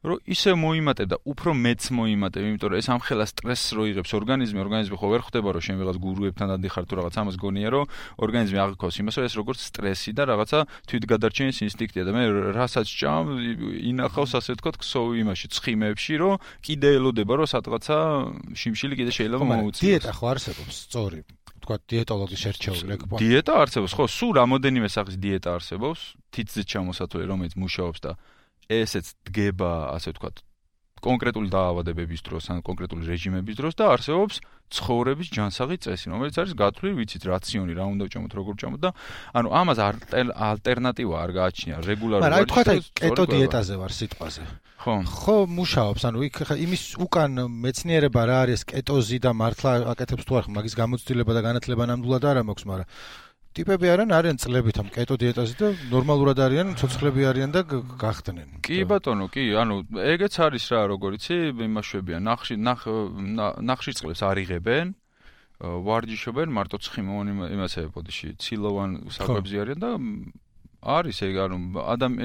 რომ ისე მოიმატებ და უფრო მეც მოიმატებ, იმიტომ რომ ეს ამხელა სტრესს რო იღებს ორგანიზმი ხო ვერ ხვდება რომ შენ ვიღაც გურუებთან დადიხარ თუ რაღაც ამას გონია რომ ორგანიზმი აღიქოს იმას რომ ეს როგორც სტრესი და რაღაცა თვითგადარჩენის ინსტინქტია და მე რასაც ჭამ ინახავს ასე ვთქვათ ქსოვი იმაში ცხიმებში რომ კიდე ელოდება რომ სადღაცა შიმშილი კიდე შეიძლება მოუწიოს. დიეტა ხო არსებობს სწორი თქვა დიეტოლოგის შერჩეული ეკბა. დიეტა არსებობს ხო, სულ რამოდენიმე სახის დიეტა არსებობს, თითზეც ჩამოსათვლელი რომელიც მუშაობს და ესეც დგება, ასე ვთქვათ, კონკრეტული დაავადებების დროს ან კონკრეტული რეჟიმების დროს და არსებობს ცხოვრების ჯანსაღი წესი, რომელიც არის გათვლილი, ვიცით, რაციონი, რა უნდა ვჭამოთ, როგორ ვჭამოთ და ანუ ამას ალტერნატივა არ გააჩნია რეგულარულად. მაგრამ თქვა კეტო დიეტაზე ვარ სიტყვაზე. ხო, მუშაობს, ანუ იქ ხა იმის უკან მეცნიერება რა არის კეტოზი და მართლა აკეთებს თუ არ მაგის გამოცდილება და განათლება ნამდვილად არ მაქვს, მაგრამ ტიპები არიან წლებით ამ კეტო დიეტაზე და ნორმალურად არიან, ცოცხლები არიან და გახდნენ. კი ბატონო, კი, ანუ ეგეც არის რა, როგორ იცი, იმაშვებიან, ნახშირწყლებს არიღებენ, ვარჯიშობენ, მარტო ცხიმოვან იმასე ბოდიში, ცილოვან საკვებზე არიან და არის ეგ ანუ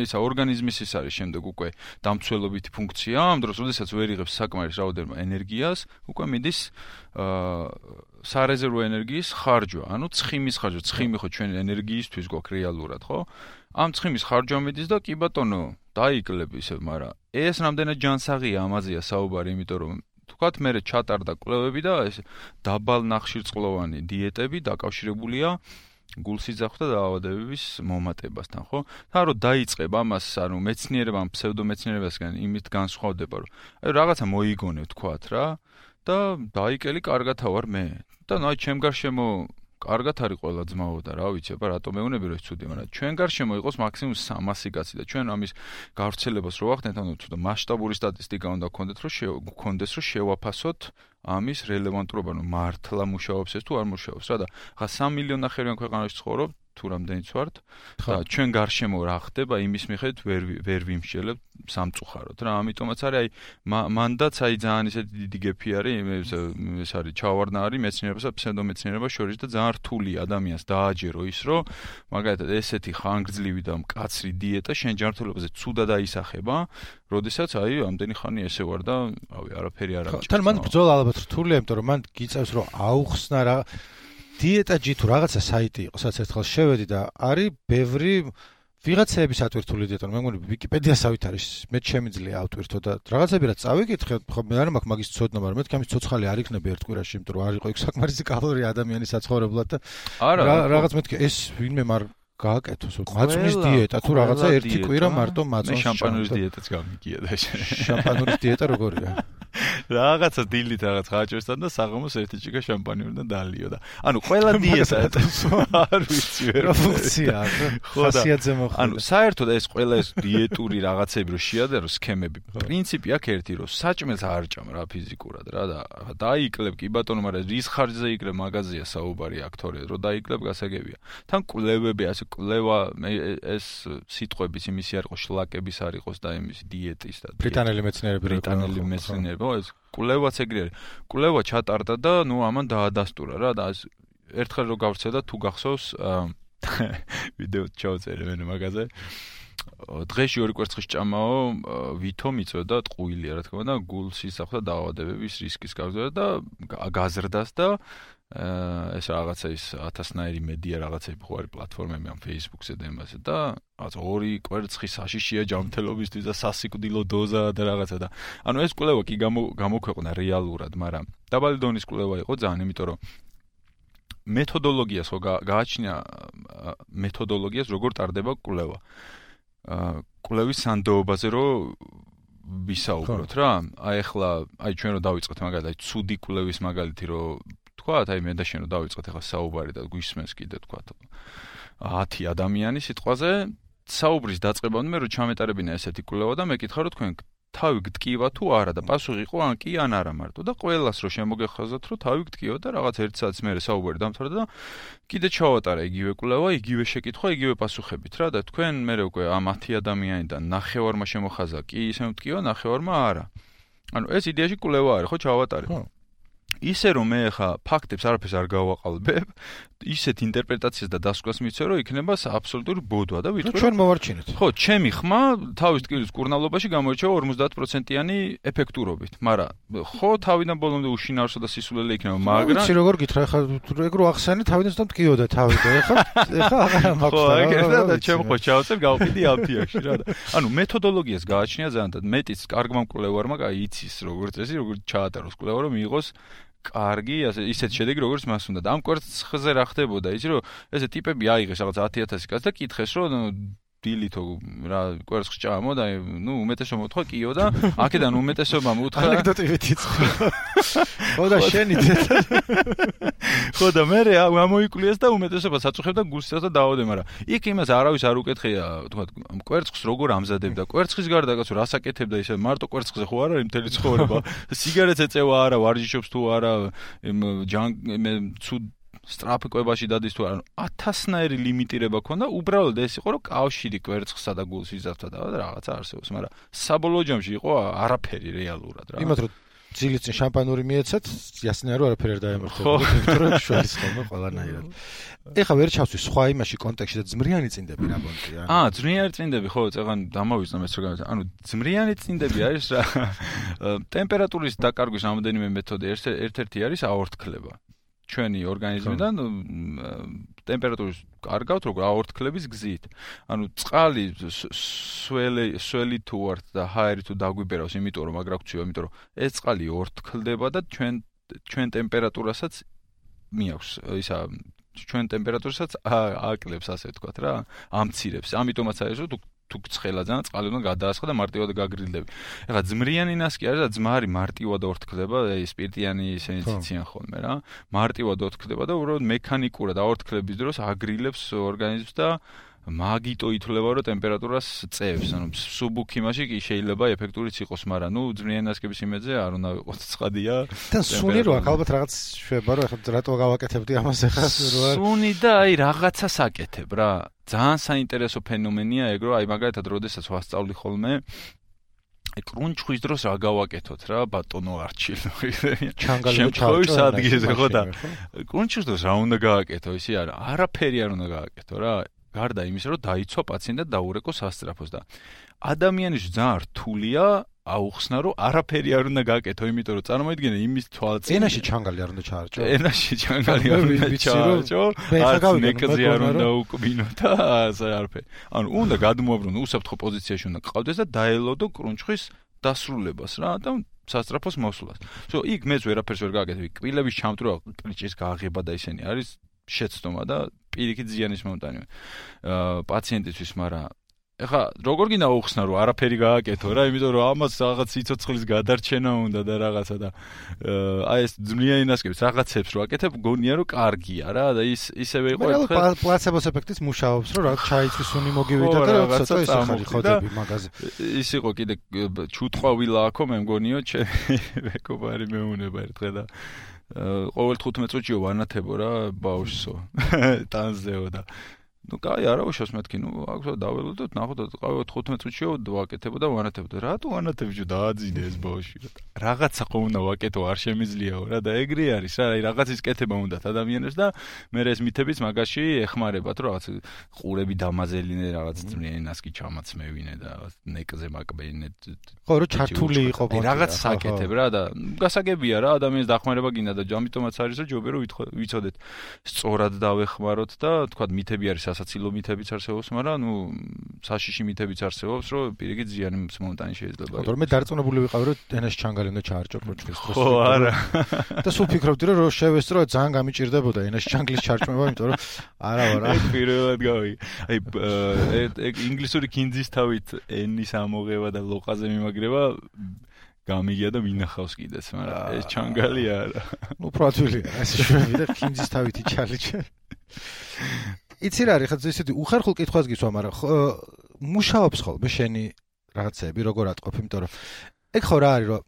ესა ორგანიზმის ის არის შემდეგ უკვე დამცველობითი ფუნქცია, ამ დროს როდესაც ვერ იღებს საკმარის რაოდენობა ენერგიას, უკვე მიდის სარეზერვო ენერგიის ხარჯვა, ანუ ცხიმის ხარჯვა, ცხიმი ხო ჩვენი ენერგიისთვის გვაქვს რეალურად, ხო? ამ ცხიმის ხარჯვა მიდის და კი ბატონო, დაიკლებ ისე, მაგრამ ეს რამდენად ჯანსაღია ამაზეა საუბარი, იმიტომ რომ თქვათ მე ჩატარდა კვლევები და ეს დაბალ ნახშირწყლოვანი დიეტები დაკავშირებულია გულსიძახვა და დაავადებების მომატებასთან, ხო? და რომ დაიწყებ ამას, ანუ მეცნიერებამ, ფსევდომეცნიერებასგან იმით განსხვავდება, რომ აი რაღაცა მოიგონებ თქვათ რა და დაიკელი კარგად ვარ მე. და აი ჩემ გარშემო კარგად არის ყველა ძმაო და რა ვიცი, აბა რატომ მეუნები რომ ეს ცუდი, მაგრამ ჩვენ გარშემო იყოს მაქსიმუმ 300 კაცი და ჩვენ ამის გავრცელებას რო ვახდენთ, ანუ თუ მასშტაბური სტატისტიკა უნდა გქონდეს, რომ შევაფასოთ ამის რელევანტურობა, ანუ მართლა მუშაობს ეს თუ არ მუშაობს რა და ხა 3 მილიონი ქვეყანაში ცხოვრობ, თუ რამდენიც ვართ და ჩვენ გარშემო რა ხდება, იმის მიხედვით ვერ ვიმსჯელებთ სამწუხაროდ რა, ამიტომაც არის აი მანდაც აი ძალიან ისეთი დიდი გეფი არის, ეს არის ჩავარდნა არის მეცნიერებასა და ფსევდომეცნიერებას შორის და ძალიან რთული ადამიანს დააჯერო ის, რომ მაგალითად ესეთი ხანგრძლივი და მკაცრი დიეტა შენ ჯანმრთელობაზე ცუდად აისახება, როდესაც აი ამდენი ხანი ესე ვარ და რავი არაფერი არ ამჭირდება. თან მან ბრძოლა ალბათ რთულია, იმიტომ რომ მან გიწევს რომ აუხსნა რა დიეტაჯი თუ რაღაცა საიტი იყო, სადაც ერთხელ შევედი და არის ბევრი ვიღაცების ატვირთული დიეტა, მე მგონი ვიკიპედიასავით არის, მე შემიძლია ავტვირთო და რაღაცები რაც წავიკითხე, ხო მე არ მაქვს მაგის ცოდნა, მაგრამ მეთქი ამის ცოცხალი არ იქნება ერთ კვირაში, იმიტომ რომ არ იყო იქ საკმარისი კალორია ადამიანის საცხოვრებლად და რაღაც მეთქი ეს ვინმე მარ გააკეთოს, მაწვნის დიეტა თუ რაღაცა ერთი კვირა მარტო მაწვნის შამპანურის დიეტაც გამიგია და შამპანურის დიეტა როგორია? რაღაცა დილით რაღაც ხაჭვესთან და საღამოს ერთი ჭიქა შამპანიურიდან დალიო და ანუ ყველა დიეტა არ ვიცი ვერ ფუნქცია ხასიათზე მოხდა. ანუ საერთოდ ეს ყველა ეს დიეტური რაღაცები რო შეადერო სქემები, პრინციპი აქ ერთი რომ საჭმელს არ ჭამ რა ფიზიკურად რა და დაიკლებ კი ბატონო, მაგრამ რის ხარჯზე იკლებ მაგაზია საუბარი აქტორია, რომ დაიკლებ გასაგებია. თან კვლევები ასე კვლევა ეს სიტყვების იმისი არ იყოს შლაკების არ იყოს და იმისი დიეტის და ბრიტანელი მეცნიერები ეს კვლევაც ეგრე არის. კვლევა ჩატარდა და ამან დაადასტურა რა და ერთხელ რო გავრცელდა თუ გახსოვს ვიდეო ჩავწერე მე მაგაზე. დღეში 2 კვერცხის ჭამაო ვითომ იწვევდა ტყუილია რა თქმა უნდა გულს ისახდა დაავადებების რისკის გაზრდა და გაზრდას და ეს რაღაცა ის 1000-ნაირი მედია რაღაცები ხო არის პლატფორმები ამ Facebook-ზე და იმაზე და რაღაც 2 კვერცხის საშიშია ჯანმრთელობისთვის და სასიკვდილო დოზა და რაღაცა და ანუ ეს კვლევა კი გამოქვეყნა რეალურად, მაგრამ დაბალი დონის კვლევა იყო ძალიან, იმიტომ რომ მეთოდოლოგიას ხო გააჩნია მეთოდოლოგიას როგორ ტარდება კვლევა. კვლევის სანდოობაზე რო ვისაუბროთ რა. აი ჩვენ რო დავიწყოთ მაგალითად ცუდი კვლევის მაგალითი რო თქვათ, აი მე და შენ რო დავიწყოთ ახლა საუბარი და გვისმენს კიდე თქვათ 10 ადამიანის სიტყვაზე საუბრის დაწყებამდე მე რო ჩამეტარებინა ესეთი კვლევა და მე კითხა რომ თქვენ თავი გტკივა თუ არა და პასუხი იყო ან კი ან არა მარტო და ყველას რო შემოგეხაზოთ რომ თავი გტკივა და რაღაც 1 საათის მერე საუბარი დამთავრდა და კიდე ჩავატარა იგივე კვლევა, იგივე შეკითხვა, იგივე პასუხებით რა და თქვენ მერე უკვე ამ 10 ადამიანიდან ნახევარმა შემოხაზა კი ისე მტკივა, ნახევარმა არა. ანუ ეს იდეაში კვლევა არის, ხო ჩავატარე. ისე რომ მე ხა ფაქტებს არაფერს არ გავაყალბებ, ისეთ ინტერპრეტაციას და დასკვას მიცე რომ იქნება აბსოლუტური ბოდვა და ვიტყვი ჩვენ მოვარჩინეთ. ხო, ჩემი ხმა თავის ტკივილის კურნალობაში გამოირჩევა 50%-იანი ეფექტურობით, მაგრამ ხო თავიდან ბოლომდე უშინაარსო და სისულელე იქნება, მაგრამ ვიცი როგორ გითხრა ხა ეგრო ახსენე თავიდან ზუსტად მტკიოდა თავი და ეხლა აღარ მაქვს. ხო, ეგრე და ჩემ ხო ჩავწევ გავყიდი ამ თიაქში რა და ანუ მეთოდოლოგიას გააჩნია ძალიან და მეტიც კარგმა მკვლევარმა იცის როგორც წესი როგორ ჩაატაროს კვლევა რომ მიიღოს კარგი, ისეთ შედეგი როგორც მას უნდა და ამ კვერცხზე რა ხდებოდა, იცი რომ ესე ტიპები აიღეს რაღაც 10,000 კაცს და კითხეს რომ დილითო რა კვერცხს ჭამო და უმეტესობა მოთხრა კიო და აქედან უმეტესობა მოუთხრა ანეკდოტივით იწყო. ხო და შენით ხო და მე ამოიკვლიეს და უმეტესობა საწუხებდა გულსა და დაავადე, მაგრამ იქ იმას არავის არ უკეთხია, თქვა კვერცხს როგორ ამზადებდა, კვერცხის გარდა კაცო რას აკეთებდა ისე მარტო კვერცხზე ხო არ არის მთელი ცხოვრება, სიგარეტს ეწევა არა, ვარჯიშობს თუ არა, ცუდ სტრაფი კვებაში დადის თუ არა 1000-ნაირი ლიმიტირება ქონდა, უბრალოდ ეს იყო რომ კავშირი კვერცხსა და გულს იზარდა და რაღაცა არსებობს, მაგრამ საბოლოო ჯამში იყო არაფერი რეალურად რა. იმათ რომ ძილით წინ შამპანური მიეცეთ, ясნია რომ არაფერი არ დაემართებოდა, იმიტომ რომ შორის ხოლმე ყველანაირად. ეხლა ვერ ჩავსვი სხვა იმაში კონტექსტში და ძმრიანი წინდები რა ბონტია. ძმრიანი წინდები ხო, წეგან დამოვიწყდა ეს რა. ანუ ძმრიანი წინდები არის რა. ტემპერატურის დაკარგვის რამოდენიმე მეთოდი, ერთ-ერთი არის აორთქლება. ჩვენი ორგანიზმიდან ტემპერატურის კარგავთ როგორ აორთქლების გზით. ანუ წყალი სველი თუ ვართ და ჰაერი თუ დაგვიბერავს, იმიტომ რომ აგ რა გვწივა, იმიტომ რომ ეს წყალი ორთქლდება და ჩვენ ტემპერატურასაც მიაქვს ისა ჩვენ ტემპერატურასაც აკლებს ასე ვთქვათ რა, ამცირებს. ამიტომაც არის რომ თუ ცხელა ძალიან წყალი უნდა გადაასხა და მარტივად გაგრილდები. ეხლა ძმრიანი ნასკი არის და ძმარი მარტივად ორთქლდება, სპირტიანი ისინი ციციან ხოლმე რა. მარტივად ორთქლდება და უბრალოდ მექანიკურად აორთქლების დროს აგრილებს ორგანიზმს და მაგიტო ითვლება რომ ტემპერატურას წევს. ანუ სუბუქიმაში კი შეიძლება ეფექტურიც იყოს, მაგრამ ძმრიანი ნასკების იმედზე არ უნდა ვიყოთ ცხადია. და სუნი რო აქ ალბათ რაღაც შვება რომ ეხლა რატო გავაკეთებდი ამას ეხლა რო სუნი და აი რაღაცას აკეთებ რა. ძალიან საინტერესო ფენომენია ეგ რომ აი მაგალითად როდესაც ვასწავლი ხოლმე კრუნჩხვის დროს რა გავაკეთოთ რა ბატონო არჩილო შემთხვევის ადგილზე ხო და კრუნჩხვის დროს რა უნდა გააკეთო ისი არა არაფერი არ უნდა გააკეთო რა გარდა იმისა რომ დაიცვა პაციენტი და დაურეკო სასწრაფოს და ადამიანის ძალიან რთულია აუხსნა რომ არაფერი არ უნდა გააკეთო, იმიტომ რომ წარმოიდგინე იმის თვალწინ ენაში ჩანგალი არ უნდა ჩაარჭო. ენაში ჩანგალი არ უნდა ჩაარჭო. არც ნეკზე არ უნდა უკბინო და ასე არაფერი. ანუ უნდა გადმოაბრუნო უსაფრთხო პოზიციაში უნდა ყავდეს და დაელოდო კრუნჩხვის დასრულებას რა და სასწრაფოს მოსვლას. ხო, იქ მეც ვერაფერს ვერ გააკეთე. კბილების ჩამტვრა, კრიჭის გააღება და ისინი არის შეცდომა და პირიქით ზიანის მომტანი. პაციენტისთვის, მაგრამ ეხა როგორ გინდა უხსნა რომ არაფერი გააკეთო რა, იმიტომ რომ ამას რაღაც სიცოცხლის გადარჩენა უნდა და რაღაცა და აი ეს ძმრიანი ნასკებს რაღაცებს რო აკეთებ, გონია რომ კარგია რა და ისევე იყო ერთხელ პლაცებოს ეფექტის მუშაობს, რომ რაღაც ჩაიწვის უნი მოგივიდა და რაღაცა ისახარი ხოდები მაგაზე. ის იყო კიდე ჩუტყვავილა აქო მე მგონიო ჩემი მეგობარი მეუნება ერთხელ და ყოველ 15 წუთიო ვანათებო რა ბავშვსო ტანზეო და ნუ კაი არა უშავს მეთქი ნუ აქ დაველოდოთ ნახოთ 15 წუთში ვაკეთებო და ვანათებდო რატო ვანათებიო დააძინე ეს ბავშვი რაღაცა ხო უნდა ვაკეთო არ შემიძლიაო რა და ეგრე არის რა რაღაცის კეთება უნდათ ადამიანებს და მე ეს მითებიც მაგაში ეხმარებათ რომ რაღაც ყურები დამაზელინე რაღაც ენასკი ჩამაცმევინე და ნეკზე მაკბენე ხო რომ ჩართული იყო რაღაც საკეთებ რა და გასაგებია რა ადამიანის დახმარება გინდა და ამიტომაც არის რომ ჯობია რომ ვიცოდეთ სწორად დავეხმაროთ და თქვა მითები არის სასაცილო მითებიც არსებობს მაგრამ ნუ საშიში მითებიც არსებობს რომ პირიქით ზიანის მომტანი შეიძლება ხო თორემ დარწმუნებული ვიყავი რომ ენას ჩანგალი უნდა ჩაარჭო პროჭრის დროს ხო არა და სულ ფიქრობდი რომ შევესწრო ძალიან გამიჭირდებოდა ენას ჩანგლის ჩარჭმება იმიტომ რომ არა ვარა პირველად გავი აი ინგლისური კინძის თავით ენის ამოღება და ლოყაზე მიმაგრება გამიგია და მინახავს კიდეც მაგრამ ეს ჩანგალი არა ნუ პროადვილია ეს შვები და კინძის თავით იჩალიჩე იცი რა არის ხა ისეთი უხერხულ კითხვას გისვა მაგრამ მუშაობს ხოლმე შენი რაღაცები როგორ ატყოფი იმიტომ რომ ეგ ხო რა არის რომ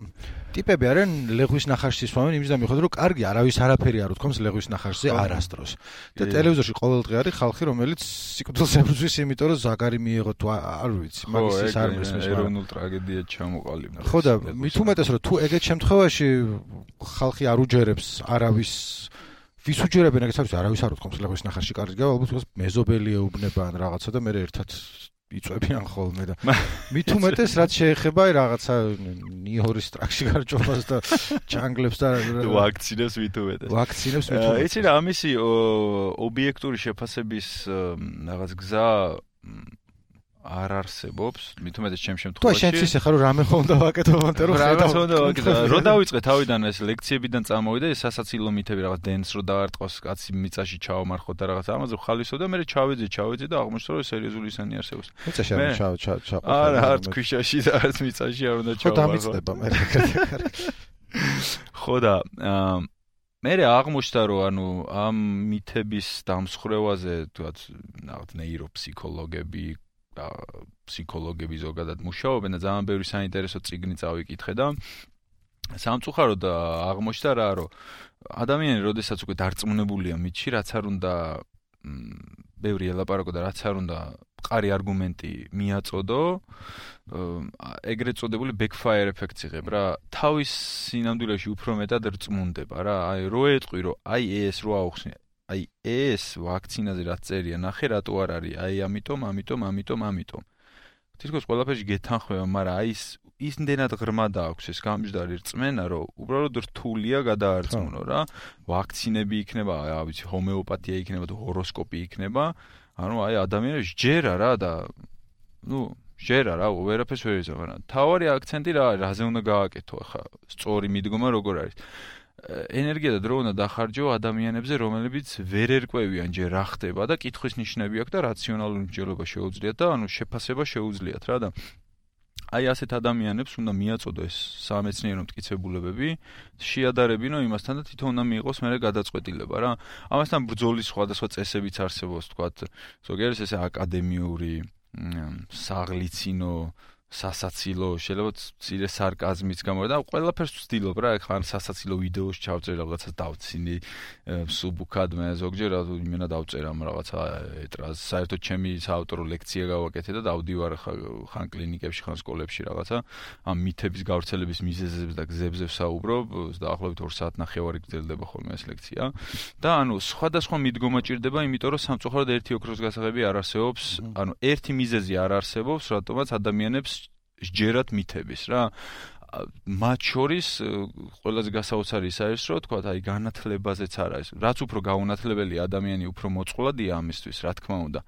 ტიპები არიან ლეღვის ნახარში ისვამენ იმის და მიხედავთ რომ კარგი არავის არაფერი არ უთქვამს ლეღვის ნახარშზე არასდროს და ტელევიზორში ყოველდღე არის ხალხი რომელიც სიკვდილს ებრძვის იმიტომ რომ ზაგარი მიიღო თუ არ ვიცი მაგის ის არ მესმის ეროვნულ ტრაგედიად ჩამოყალიბდა ხო და მით უმეტეს რომ თუ ეგეთ შემთხვევაში ხალხი არ უჯერებს არავის ვის უჯერებენ ეგეც არის არავის არ უთქვამს ლეღვის ნახარში კარგი ალბათ მეზობელი ეუბნება ან რაღაცა და მე ერთად იწვევიან ხოლმე და მით უმეტეს რაც შეეხება რაღაცა ნიორის ტრაქში გარჯობას და ჩანგლებს და ვაქცინებს მით უმეტეს იცი რა ამისი ობიექტური შეფასების რაღაც გზა არ არსებობს მით უმეტეს ჩემ შემთხვევაში თუ შენც ისე ხარ რომ რამე ხო უნდა ვაკეთო მომენტე რომ რო დავიწყე თავიდან ეს ლექციებიდან წამოვიდა ეს სასაცილო მითები რაღაც დენს რო დაარტყოს კაცი მიწაში ჩაომარხოთ და რაღაც ამაზე ხალისო და მე ჩავეძე და აღმოჩნდა რომ სერიოზული ისანი არსებობს მიწაში არ ჩაყო არა არც ქვიშაში და არც მიწაში არ უნდა ჩავამარხო ხო დამიწდება მე ხო და მე აღმოჩნდა რომ ანუ ამ მითების დამსხვრევაზე თუნდაც რაღაც ნეიროფსიქოლოგები ფსიქოლოგები ზოგადად მუშაობენ და ძალიან ბევრი საინტერესო წიგნი წავიკითხე და სამწუხაროდ აღმოჩნდა რა რომ ადამიანი როდესაც უკვე დარწმუნებულია მითში რაც არ უნდა ბევრი ელაპარაკო და რაც არ უნდა მყარი არგუმენტი მიაწოდო ეგრეთ წოდებული backfire ეფექტს იღებ რა თავის სინამდვილეში უფრო მეტად რწმუნდება რა აი რო ეტყვი რომ აი ეს რო აუხსნე აი ეს ვაქცინაზე რაც წერია ნახე რატო არ არის აი ამიტომ თითქოს ყველაფერში გეთანხმება მაგრამ აი ისნდენად ღრმა დააქვს ეს გამჯდარი რწმენა რომ უბრალოდ რთულია გადაარწმუნო რა ვაქცინები იქნება აი ვიცი ჰომეოპათია იქნება თუ ჰოროსკოპი იქნება ანუ აი ადამიანებს ჯერა რა და ნუ ჯერა რა ვერაფერს ვერ იზამ მაგრამ თავარი აქცენტი რა არის რაზე უნდა გააკეთო ახლა სწორი მიდგომა როგორ არის ენერგია და დრო უნდა დახარჯო ადამიანებზე რომლებიც ვერ ერკვევიან ჯერ რა ხდება და კითხვის ნიშნები აქვს და რაციონალური მსჯელობა შეუძლიათ და ანუ შეფასება შეუძლიათ რა და აი ასეთ ადამიანებს უნდა მიაწოდო ეს სამეცნიერო მტკიცებულებები შეადარებინო იმასთან და თვითონ უნდა მიიღოს მერე გადაწყვეტილება რა ამასთან ბრძოლის სხვადასხვა წესებიც არსებობს თქვათ ზოგიერთი ესე აკადემიური საღლიცინო სასაცილო შეიძლება ცირე სარკაზმიც გამორა და ყველაფერს ვცდილობ რა ხან სასაცილო ვიდეოს ჩავწერ რაღაცას დავცინი სუბუქად მე ზოგჯერ იმენა დავწერამ რაღაცა ეტრას საერთოდ ჩემი საავტორო ლექცია გავაკეთე და დავდივარ ხან კლინიკებში ხან სკოლებში რაღაცა ამ მითების გავრცელების მიზეზებს და გზებზე ვსაუბრობ დაახლოებით 2 საათნახევარი გრძელდება ხოლმე ეს ლექცია და ანუ სხვადასხვა მიდგომა ჭირდება იმიტომ რომ სამწუხაროდ ერთი ოქროს გასაღები არ არსებობს ანუ ერთი მიზეზი არ არსებობს რატომაც ადამიანებს ჯერათ მითების რა მათ შორის ყველაზე გასაოცარი ის არის რომ თქვა აი განათლებაზეც არ არის რაც უფრო გაუნათლებელი ადამიანი უფრო მოწყვლადია ამისთვის რა თქმა უნდა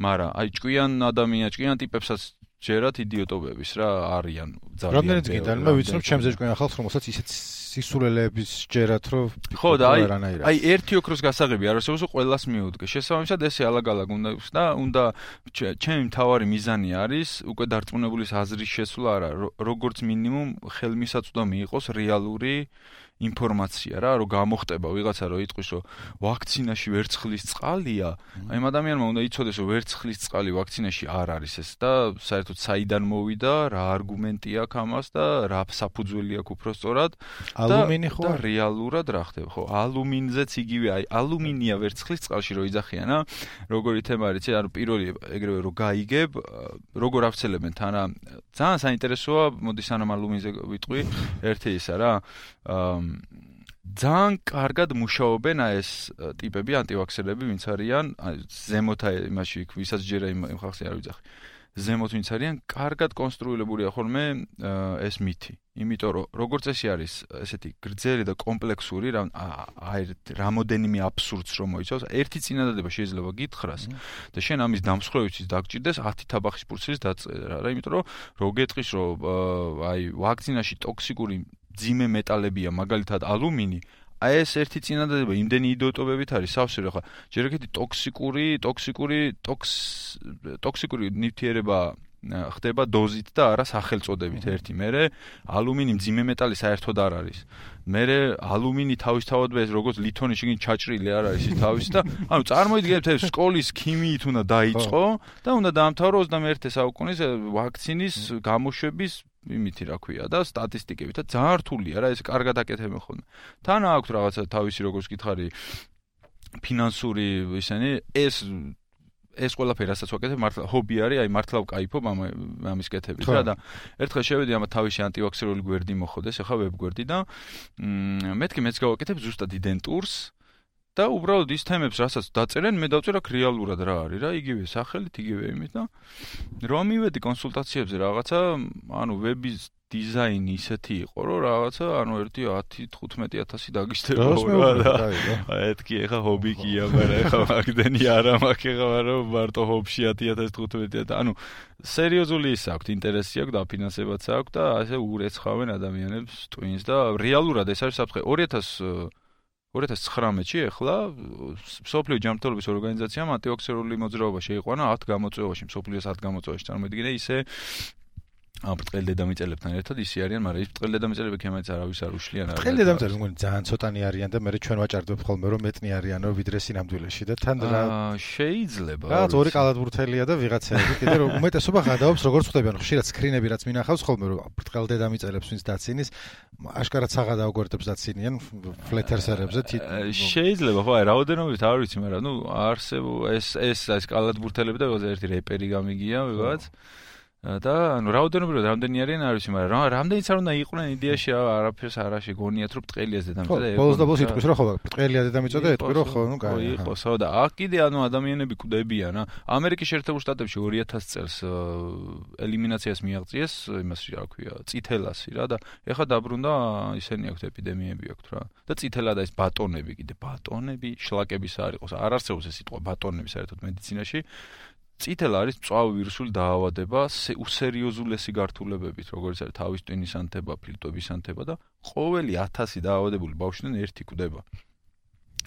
მაგრამ აი ჭკვიან ტიპებსაც ჯერათ იდიოტობების რა არიან ძალიან რამდენიც გინდა მე ვიცნობ ჩემზე ჭკვიან ხალხს რომელსაც ისეთ სისულელეების ჯერათ რომ ხო და აი ერთი ოქროს გასაღები არ არსებობს ყველას მიუდგე შესაბამისად ესე ალაგ-ალაგ უნდა ჩემი მთავარი მიზანი არის უკვე დარწმუნებულის აზრის შესვლა არა როგორც მინიმუმ ხელმისაწვდომი იყოს რეალური ინფორმაცია რა, რომ გამოხტება ვიღაცა რომ იტყვის, რომ ვაქცინაში ვერცხლის წყალია, აი ამ ადამიანმა უნდა იცოდეს, რომ ვერცხლის წყალი ვაქცინაში არ არის ეს და საერთოდ საიდან მოვიდა, რა არგუმენტი აქვს ამას და რა საფუძველი აქვს უფრო სწორად. ალუმინი ხო? და რეალურად რა ხდება, ხო? ალუმინზეც იგივე, აი ალუმინია ვერცხლის წყალში რო იძახიან, როგორი თემა არის, ანუ პირველი ეგრევე რო გაიგებ, როგორ ავცელებენ თან რა. ძალიან საინტერესოა, მოდი სანამ ალუმინზე ვიტყვი, ერთი ისა რა. ძალიან კარგად მუშაობენ ეს ტიპები, ანტივაქსერები, ვინც არიან, ზემოთა იმაში, ვისაც ჯერა იმ ხალხს არ ვიძახი. ზემოთ ვინც არიან, კარგად კონსტრუირებულია ხოლმე ეს მითი. იმიტომ რომ როგორც წესი არის ესეთი გრძელი და კომპლექსური, რამოდენიმე აბსურდს რომ მოიცავს, ერთი წინადადება შეიძლება გითხრას და შენ ამის დამსხვრევისთვის დაგჭირდეს 10 თაბახის პურცლის დაწერა რა, იმიტომ რომ რო გეტყვის რომ აი ვაქცინაში ტოქსიკური ძიმე მეტალებია, მაგალითად ალუმინი, აი ეს ერთი წინადადება იმდენი იდიოტობებით არის სავსე რა ხა ჯერ ეგეთი ტოქსიკური ნივთიერება ხდება დოზით და არა სახელწოდებით ერთი. მერე ალუმინი მძიმე მეტალი საერთოდ არ არის. მერე ალუმინი თავისთავად ეს როგორც ლითონი შეგინ ჩაჭრილი არ არის ის თავის და ანუ წარმოიდგინეთ ეს სკოლის ქიმიით უნდა დაიწყო და უნდა დაამთავრო 21 საუკუნის ვაქცინის გამოშვების იმითი რა ქვია და სტატისტიკებით და ძალიან რთულია რა ეს კარგად აკეთებენ ხოლმე. თან აქვს რაღაცა თავისი როგორც გითხარი ფინანსური ისენი ეს ყველაფერი რასაც ვაკეთებ მართლა ჰობი არის, აი მართლა ვკაიფობ ამის კეთებით რა და ერთხელ შევედი ამ თავისი ანტივაქსერული გვერდი მოხდეს, ახლა ვებ გვერდი და მეთქი მეც გავაკეთებ ზუსტად იდენტურს და უბრალოდ ის თემებს რასაც დაწერენ, მე დავწერ აქ რეალურად რა არის რა, იგივე სახელით, იგივე იმით და რომ მივედი კონსულტაციებზე რაღაცა, ანუ ვების დიზაინი ისეთი იყო, რომ რაღაცა, ანუ 10-15,000 დაგიშტება რა. ეთქი ეხა ჰობი კია, მაგრამ ეხა მაგდენი არა მაქვს ეხა, მაგრამ მარტო ჰობში 10,000-15,000. ანუ სერიოზული ის აქვს, ინტერესი აქვს, დაფინანსებაც აქვს და ასე ურეცხავენ ადამიანებს ტვინს და რეალურად ეს არის საფრთხე 2019-ში ეხლა მსოფლიო ჯანმრთელობის ორგანიზაციამ ანტივაქსერული მოძრაობა შეიყვანა 10 გამოწვევაში, მსოფლიოს 10 გამოწვევაში. წარმოიდგინე ისე ამ ბრტყელ დედამიწელებთან ერთად ისე არიან, მაგრამ ის ბრტყელ დედამიწელები ქემაც არავის არ უშლიან არა. ბრტყელ დედამიწელები მგონი ძალიან ცოტანი არიან და მე ჩვენ ვაჭარდებ ხოლმე რომ მეტნი არიანო ვიდრე სინამდვილეში და თან რა შეიძლება. რა ორი კალათბურთელია და ვიღაცაები კიდე რომ უმეტესობა გადაობს როგორც ხდებიან ხშირად სკრინები რაც მინახავს ხოლმე რომ ბრტყელ დედამიწელებს ვინც დაცინის აშკარად საღადაო გვერდებს დაცინიან ფლეთერსერებზე შეიძლება ხო აი რაოდენობით არ ვიცი მაგრამ ნუ არსებობს ეს კალათბურთელები და ერთი რეპერი გამიგია ვიღაც და ანუ რაოდენობრივად რამდენი არიან არ ვიცი, მაგრამ რამდენიც არ უნდა იყვნენ იდეაში არაფერს არ შეგონიათ რომ ბრტყელია დედამიწა. ბოლოს და ბოლოს იტყვის რომ ხო ბრტყელია დედამიწა და იტყვი რომ ხო ნუ კაი. იყოს ხო და აქ კიდე ანუ ადამიანები კვდებიან რა. ამერიკის შეერთებულ შტატებში 2000 წელს ელიმინაციას მიაღწიეს იმას რა ქვია, წითელასი რა და ეხლა დაბრუნდა ისენი აქვს ეპიდემიები აქვს რა. და წითელა და ეს ბატონები კიდე ბატონები შლაკების არ იყოს. არ არსებობს ეს სიტყვა ბატონები საერთოდ მედიცინაში. წითელა არის მწვავე ვირუსული დაავადება უსერიოზულესი გართულებებით, როგორც არის თავის ტვინის ანთება, ფილტვების ანთება და ყოველი 1000 დაავადებული ბავშვიდან ერთი კვდება.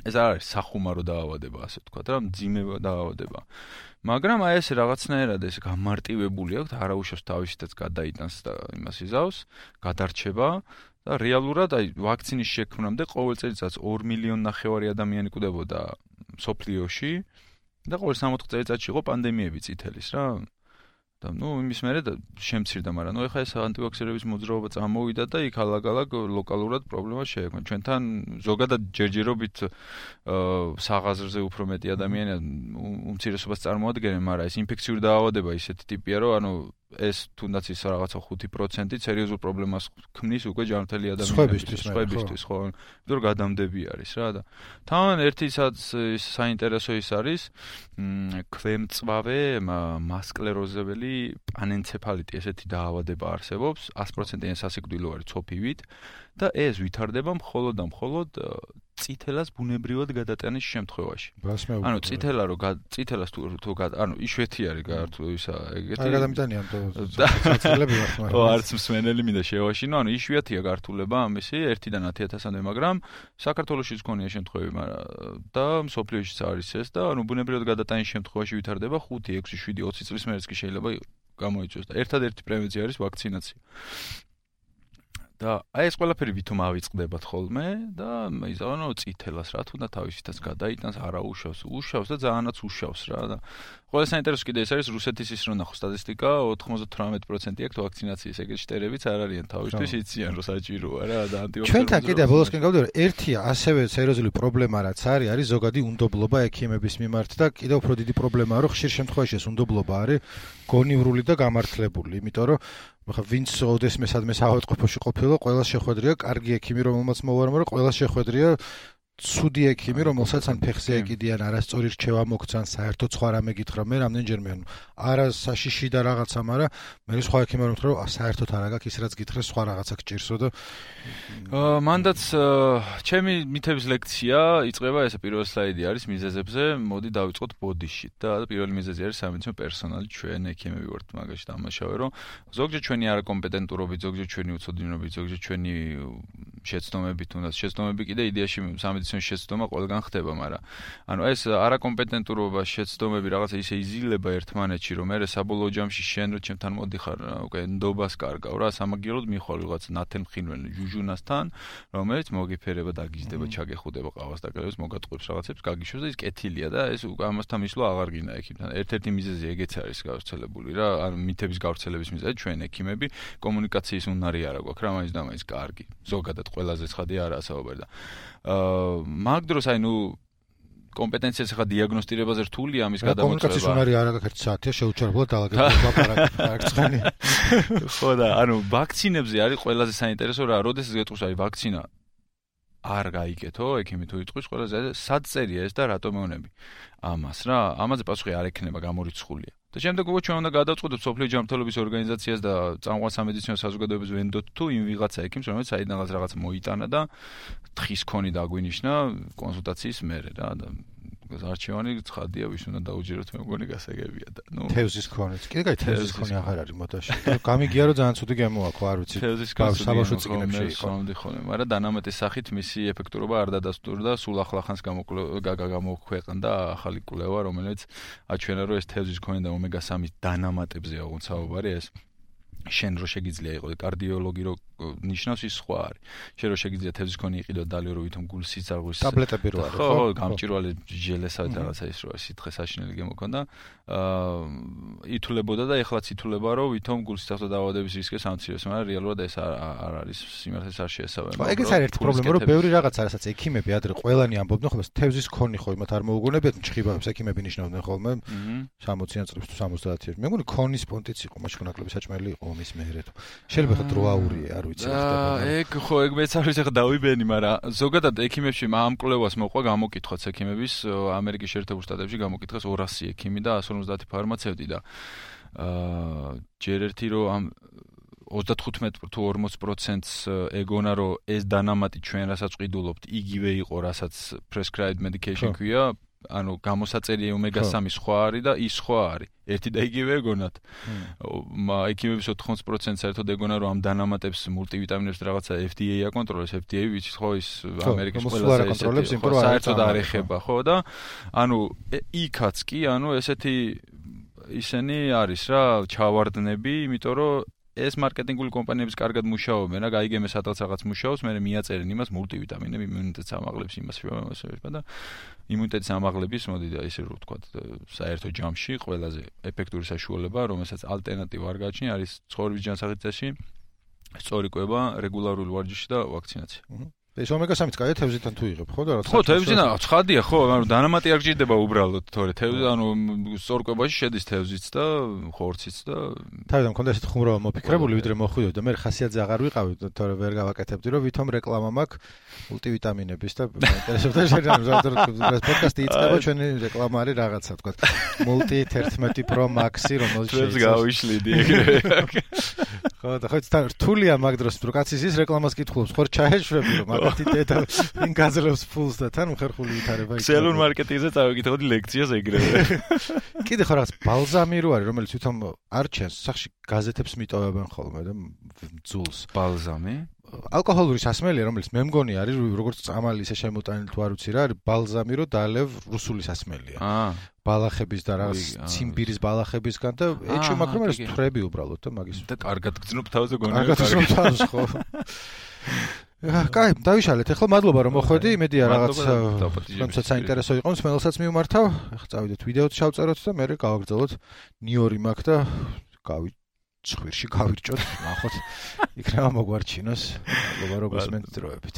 ეს არ არის სახუმარო დაავადება, ასე ვთქვათ, რა, მძიმე დაავადება. მაგრამ აი ეს რაღაცნაირად ეს გამარტივებული აქვს, არაუშავს თავისითაც გადაიტანს და იმას იზავს, გადარჩება და რეალურად აი ვაქცინის შექმნამდე ყოველ წელიწადს 2,5 მილიონი ადამიანი კვდებოდა მსოფლიოში. და ყოველ 60 წელიწადში იყო პანდემიები წითელის რა. და ნუ იმის მერე შემცირდა, მაგრამ ნუ ეხლა ეს ანტივაქსერების მოძრაობა წამოვიდა და იქ ალაგ-ალაგ ლოკალურად პრობლემა შეექმნა. ჩვენთან ზოგადად ჯერჯერობით საღაზრზე უფრო მეტი ადამიანია უმცირესობას წარმოადგენენ, მაგრამ ეს ინფექციური დაავადება ისეთი ტიპია, რომ ანუ ეს თუნდაც ის რაღაცა 5% სერიოზულ პრობლემას ქმნის უკვე ჯანმრთელი ადამიანებისთვის, ხო, იმიტომ რომ გადამდები არის რა და თან ერთისაც საინტერესო ის არის ქვემწვავე მასკლეროზებელი პანენცეფალიტი ესეთი დაავადება არსებობს 100%-იანი სასიკვდილო არის ცოფივით და ეს ვითარდება მხოლოდ და მხოლოდ წითელას ბუნებრივად გადატანის შემთხვევაში. ანუ წითელას თუ ანუ იშვიათი არის გართულისა ეგეთი. არ გადამიტანიან წითელები ვართ მაგრამ. არც მსმენელი მინდა შევაშინო, ანუ იშვიათია გართულება ამისი 1-დან 10,000-მდე, მაგრამ საქართველოშიც გქონია შემთხვევები, მაგრამ და მსოფლიოშიც არის ეს და ანუ ბუნებრივად გადატანის შემთხვევაში ვითარდება 5, 6, 7, 20 წლის მერეც კი შეიძლება გამოიწვიოს და ერთადერთი პრევენცია არის ვაქცინაცია. და აი ეს ყველაფერი ვითომ ავიწყდებათ ხოლმე და იზავანო წითელას რა თუნდა თავისითაც გადაიტანს არა უშავს და ძალიანაც უშავს რა და ყველა საინტერესო კიდე ეს არის რუსეთის ის რომ ნახო სტატისტიკა 98% აქვს ვაქცინაციის ეგრეთ შტერებიც არ არიან თავისთვის იციან რომ საჭიროა რა და ანტივაქცინაცია ჩვენთან კიდე ბოლოსკენ გავდივარ ერთია ასევე სერიოზული პრობლემა რაც არის ზოგადი უნდობლობა ექიმების მიმართ და კიდე უფრო დიდი პრობლემაა რომ ხშირ შემთხვევაში ეს უნდობლობა არის გონივრული და გამართლებული იმიტომ რომ ხა ვინც ოდესმე სადმე საავადმყოფოში ყოფილა ყველას შეხვედრია კარგი ექიმი რომელმაც მოვარმა რომ ყველას შეხვედრია ცუდი ექიმი რომელსაც ან ფეხზე ეკიდიან არასწორი რჩევა მოგცან საერთოდ სხვა რამე გითხრა მე რამდენჯერმე ანუ არა საშიში და რაღაცა მაგრამ მე სხვა ექიმი რომ თქო რომ საერთოდ არა გაქვს ის რაც გითხრა სხვა რაღაცა გჭირსო და მანდაც ჩემი მითების ლექცია იწყება ესე პირველი სლაიდი არის მიზეზებზე მოდი დავიწყოთ ბოდიშით და პირველი მიზეზი არის სამედიცინო პერსონალი ჩვენ ექიმები ვართ მაგაში დამაშავე რომ ზოგჯერ ჩვენი არაკომპეტენტურობით ზოგჯერ ჩვენი უცოდინობით ზოგჯერ ჩვენი შეცდომებით თუნდაც შეცდომები კიდე იდეაში სამედიცინო შეცდომა ყველგან ხდება, მაგრამ ანუ ეს არაკომპეტენტურობა, შეცდომები რაღაცა ისე იზილება ერთმანეთში, რომ მე საბოლოო ჯამში შენ რო ჩემთან მოდიხარ, უკვე ნდობას კარგავ რა, სამაგიეროდ მიხვალ რაღაც ნათელმხინველ ჟუჟუნასთან, რომელიც მოგიფერება და გიზდება, ჩაგეხუდება ყავას და კრებს მოგატყუებს რაღაცებს, გაგიშვებს და ის კეთილია და ეს ამასთან მისვლა აღარ გინდა ექიმთან. ერთ-ერთი მიზეზი ეგეც არის გავრცელებული რა, ანუ მითების გავრცელების მიზეზი ჩვენ ექიმები კომუნიკაციის უნარი არა გვაქვს რა, მაინც და მაინც კარგი. ზოგადად ყველაზე ცხადია არაა საუბარი და მაგ დროს აი ნუ კომპეტენციას ხა დიაგნოსტირებაზე რთულია ამის გადამოწევა. კომუნიკაციის უნარი არ აქვს 1 საათია შეუჩერებლად დაალაგებულა პარაკცხანი. ხო და ანუ ვაქცინებზე არის ყველაზე საინტერესო რა, როდესაც გეტყვის აი ვაქცინა არ გაიგეთო, ექიმი თუ იტყვის ყველაზე სად წერია ეს და რატომ მეუნები. ამას რა, ამაზე პასუხი არ ექნება გამორიცხულია. და შემდეგ უკვე ჩვენ უნდა გადავწყვეტოთ სოფლიო ჯანმრთელობის ორგანიზაციას და წამყვან სამედიცინო საზოგადოებას ვენდოთ თუ იმ ვიღაცა ექიმს, რომელიც საიდანაც რაღაც მოიტანა და თხის ქონი დაგვინიშნა კონსულტაციის მერე რა და არჩევანი ცხადია ვის უნდა დაუჯეროთ მე მგონი გასაგებია და ნუ თევზის ქონიც. კიდე კაი თევზის ქონი აღარ არის მოდაში. გამიგია რომ ძალიან ცუდი გემოაქო არ ვიცი. თევზის საბავშვო წიგნებში იყო. მაგრამ დანამატის სახით მისი ეფექტურობა არ დადასტურდა, სულ ახლახანს გამოქვეყნდა ახალი კვლევა, რომელიც აჩვენა რომ ეს თევზის ქონი და ომეგა-3 დანამატებზეა უცბად საუბარი ეს შენ რო შეგიძლია იყო კარდიოლოგი რო ნიშნავს ის სხვა არის. შენ რო შეგიძლია თევზის ქონი იყიდო დალი რო ვითომ გულის სიცარღვის ტაბლეტები რო არის ხო გამჭვირვალე ჟელესავით რაღაცა ის რო სითხე საშინელი გემოქონდა ითულებოდა და ეხლაც ითულება რომ ვითომ გულის სიცარღვის დაავადების რისკი სამცირეს მაგრამ რეალურად ეს არ არის სიმართლეს არ შეესაბამება. ეგეც არის ერთი პრობლემა რომ ბევრი რაღაცა რასაც ექიმები ადრე ყველანი ამბობდნენ ხოლმე თევზის ქონი ხო იმათ არ მოუგონებიათ ჩხიბებს ექიმები ნიშნავდნენ ხოლმე 60-იან წლებში თუ 70-იან. მე მგონი ქონის პონტიც იყო მაშინ ნაკლები საჭმელი იყო მის მეერეთ. შეიძლება ხა დროაურია არ ვიცი ხდება. ეგ ხო ეგ მეც არ ვიცი ხა დავიბენი, მაგრამ ზოგადად ექიმებში ამ კვლევას მოყვა გამოკითხვაც ექიმების ამერიკის შეერთებულ შტატებში გამოკითხეს 200 ექიმი და 150 ფარმაცევტი და ჯერ ერთი რომ ამ 35 თუ 40%-ს ეგონა რომ ეს დანამატი ჩვენ რასაც ყიდულობთ იგივე იყო რასაც prescribed medication ქვია ანუ გამოსაწერია ომეგა-3 სხვა არის და ის სხვა არის. ერთი და იგივე ეგონათ. ექიმების 80% საერთოდ ეგონა რომ ამ დანამატებს მულტივიტამინებს რაღაცა FDA აკონტროლებს, FDA ვიცი ხო ის ამერიკის ყველაზე აკონტროლებს, იმიტომ რომ საერთოდ არ ეხება, ხო და ანუ იქაც კი ანუ ესეთი ისინი არის რა ჩავარდნები, იმიტომ რომ ეს მარკეტინგული კომპანიების კარგად მუშაობენ, რა გაიგემე სადღაც რაღაც მუშაობს, მე მიაწერენ იმას მულტივიტამინები, იმუნიტეტს ამაღლებს იმას და იმუნიტეტის ამაღლების მოდი და ისე რომ ვთქვათ, საერთო ჯამში ყველაზე ეფექტური საშუალება, რომელსაც ალტერნატივა არ გააჩნია, არის ცხოვრების ჯანსაღით წესი, სწორი კვება, რეგულარული ვარჯიში და ვაქცინაცია. ეს ომეგა-3 კაია თევზიდან თუ იღებ ხო და რა ხო თევზიდან ცხადია ხო ანუ დანამატი არ გჭირდება უბრალოდ თორე თევზი ანუ სწორკვებაში შედის თევზიც და ხორციც და თავიდან მქონდა ესეთ ხუმრობა მოფიქრებული ვიდრე მოხვიდოდი და მე ხასიათზე აღარ ვიყავი თორე ვერ გავაკეთებდი რომ ვითომ რეკლამა მაქვს მულტივიტამინების და ინტერესებდა შეიძლება პოდკასტი იწყება ჩვენი რეკლამა არის რაღაცა თქვა multi 11 pro max-ი რომელიც შეიძლება გავიშლიდი ეგრევე ხო და ხო რთულია მაგ დროს რო კაცის ის რეკლამას კითხულობს ხო ჩაეშვები რომ დედა იმ გაძლევს ფულს და თან მხერხული ვითარება იქნება. ქსელურ მარკეტინგზე წავიკითხოდი ლექციას ეგრევე. კიდე ხო რაღაც ბალზამი რო არის, რომელიც თვითონ არ ჩანს, სახში გაზეთებს მიტოვებენ ხოლმე და ძულს. ბალზამი? ალკოჰოლური სასმელია, რომელიც მე მგონი არის როგორც წამალი ისე შემოტანილი თუ არ ვიცი რა, არის ბალზამი რო დალევ რუსული სასმელია. ბალახების და რაღაც ციმბირის ბალახებისგან და ეჭვი მაქვს რომ ეს თვრები უბრალოდ და მაგის. და კარგად გძნობ თავზე გონია. კარგად გძნობ თავზე ხო. კაი, დავიშალეთ. ახლა მადლობა რომ მოხვედი. იმედია რაღაც თუმცა საინტერესო იყო, მსმენელსაც მივმართავ. ახლა წავიდეთ ვიდეოც შევწეროთ და მე გავაგრძელოთ ნიორი მაქვს და ხვირში გავირჭოთ, ნახოთ. იქნება მოგვარჩინოს. მადლობა რომ გესმენთ დროებით.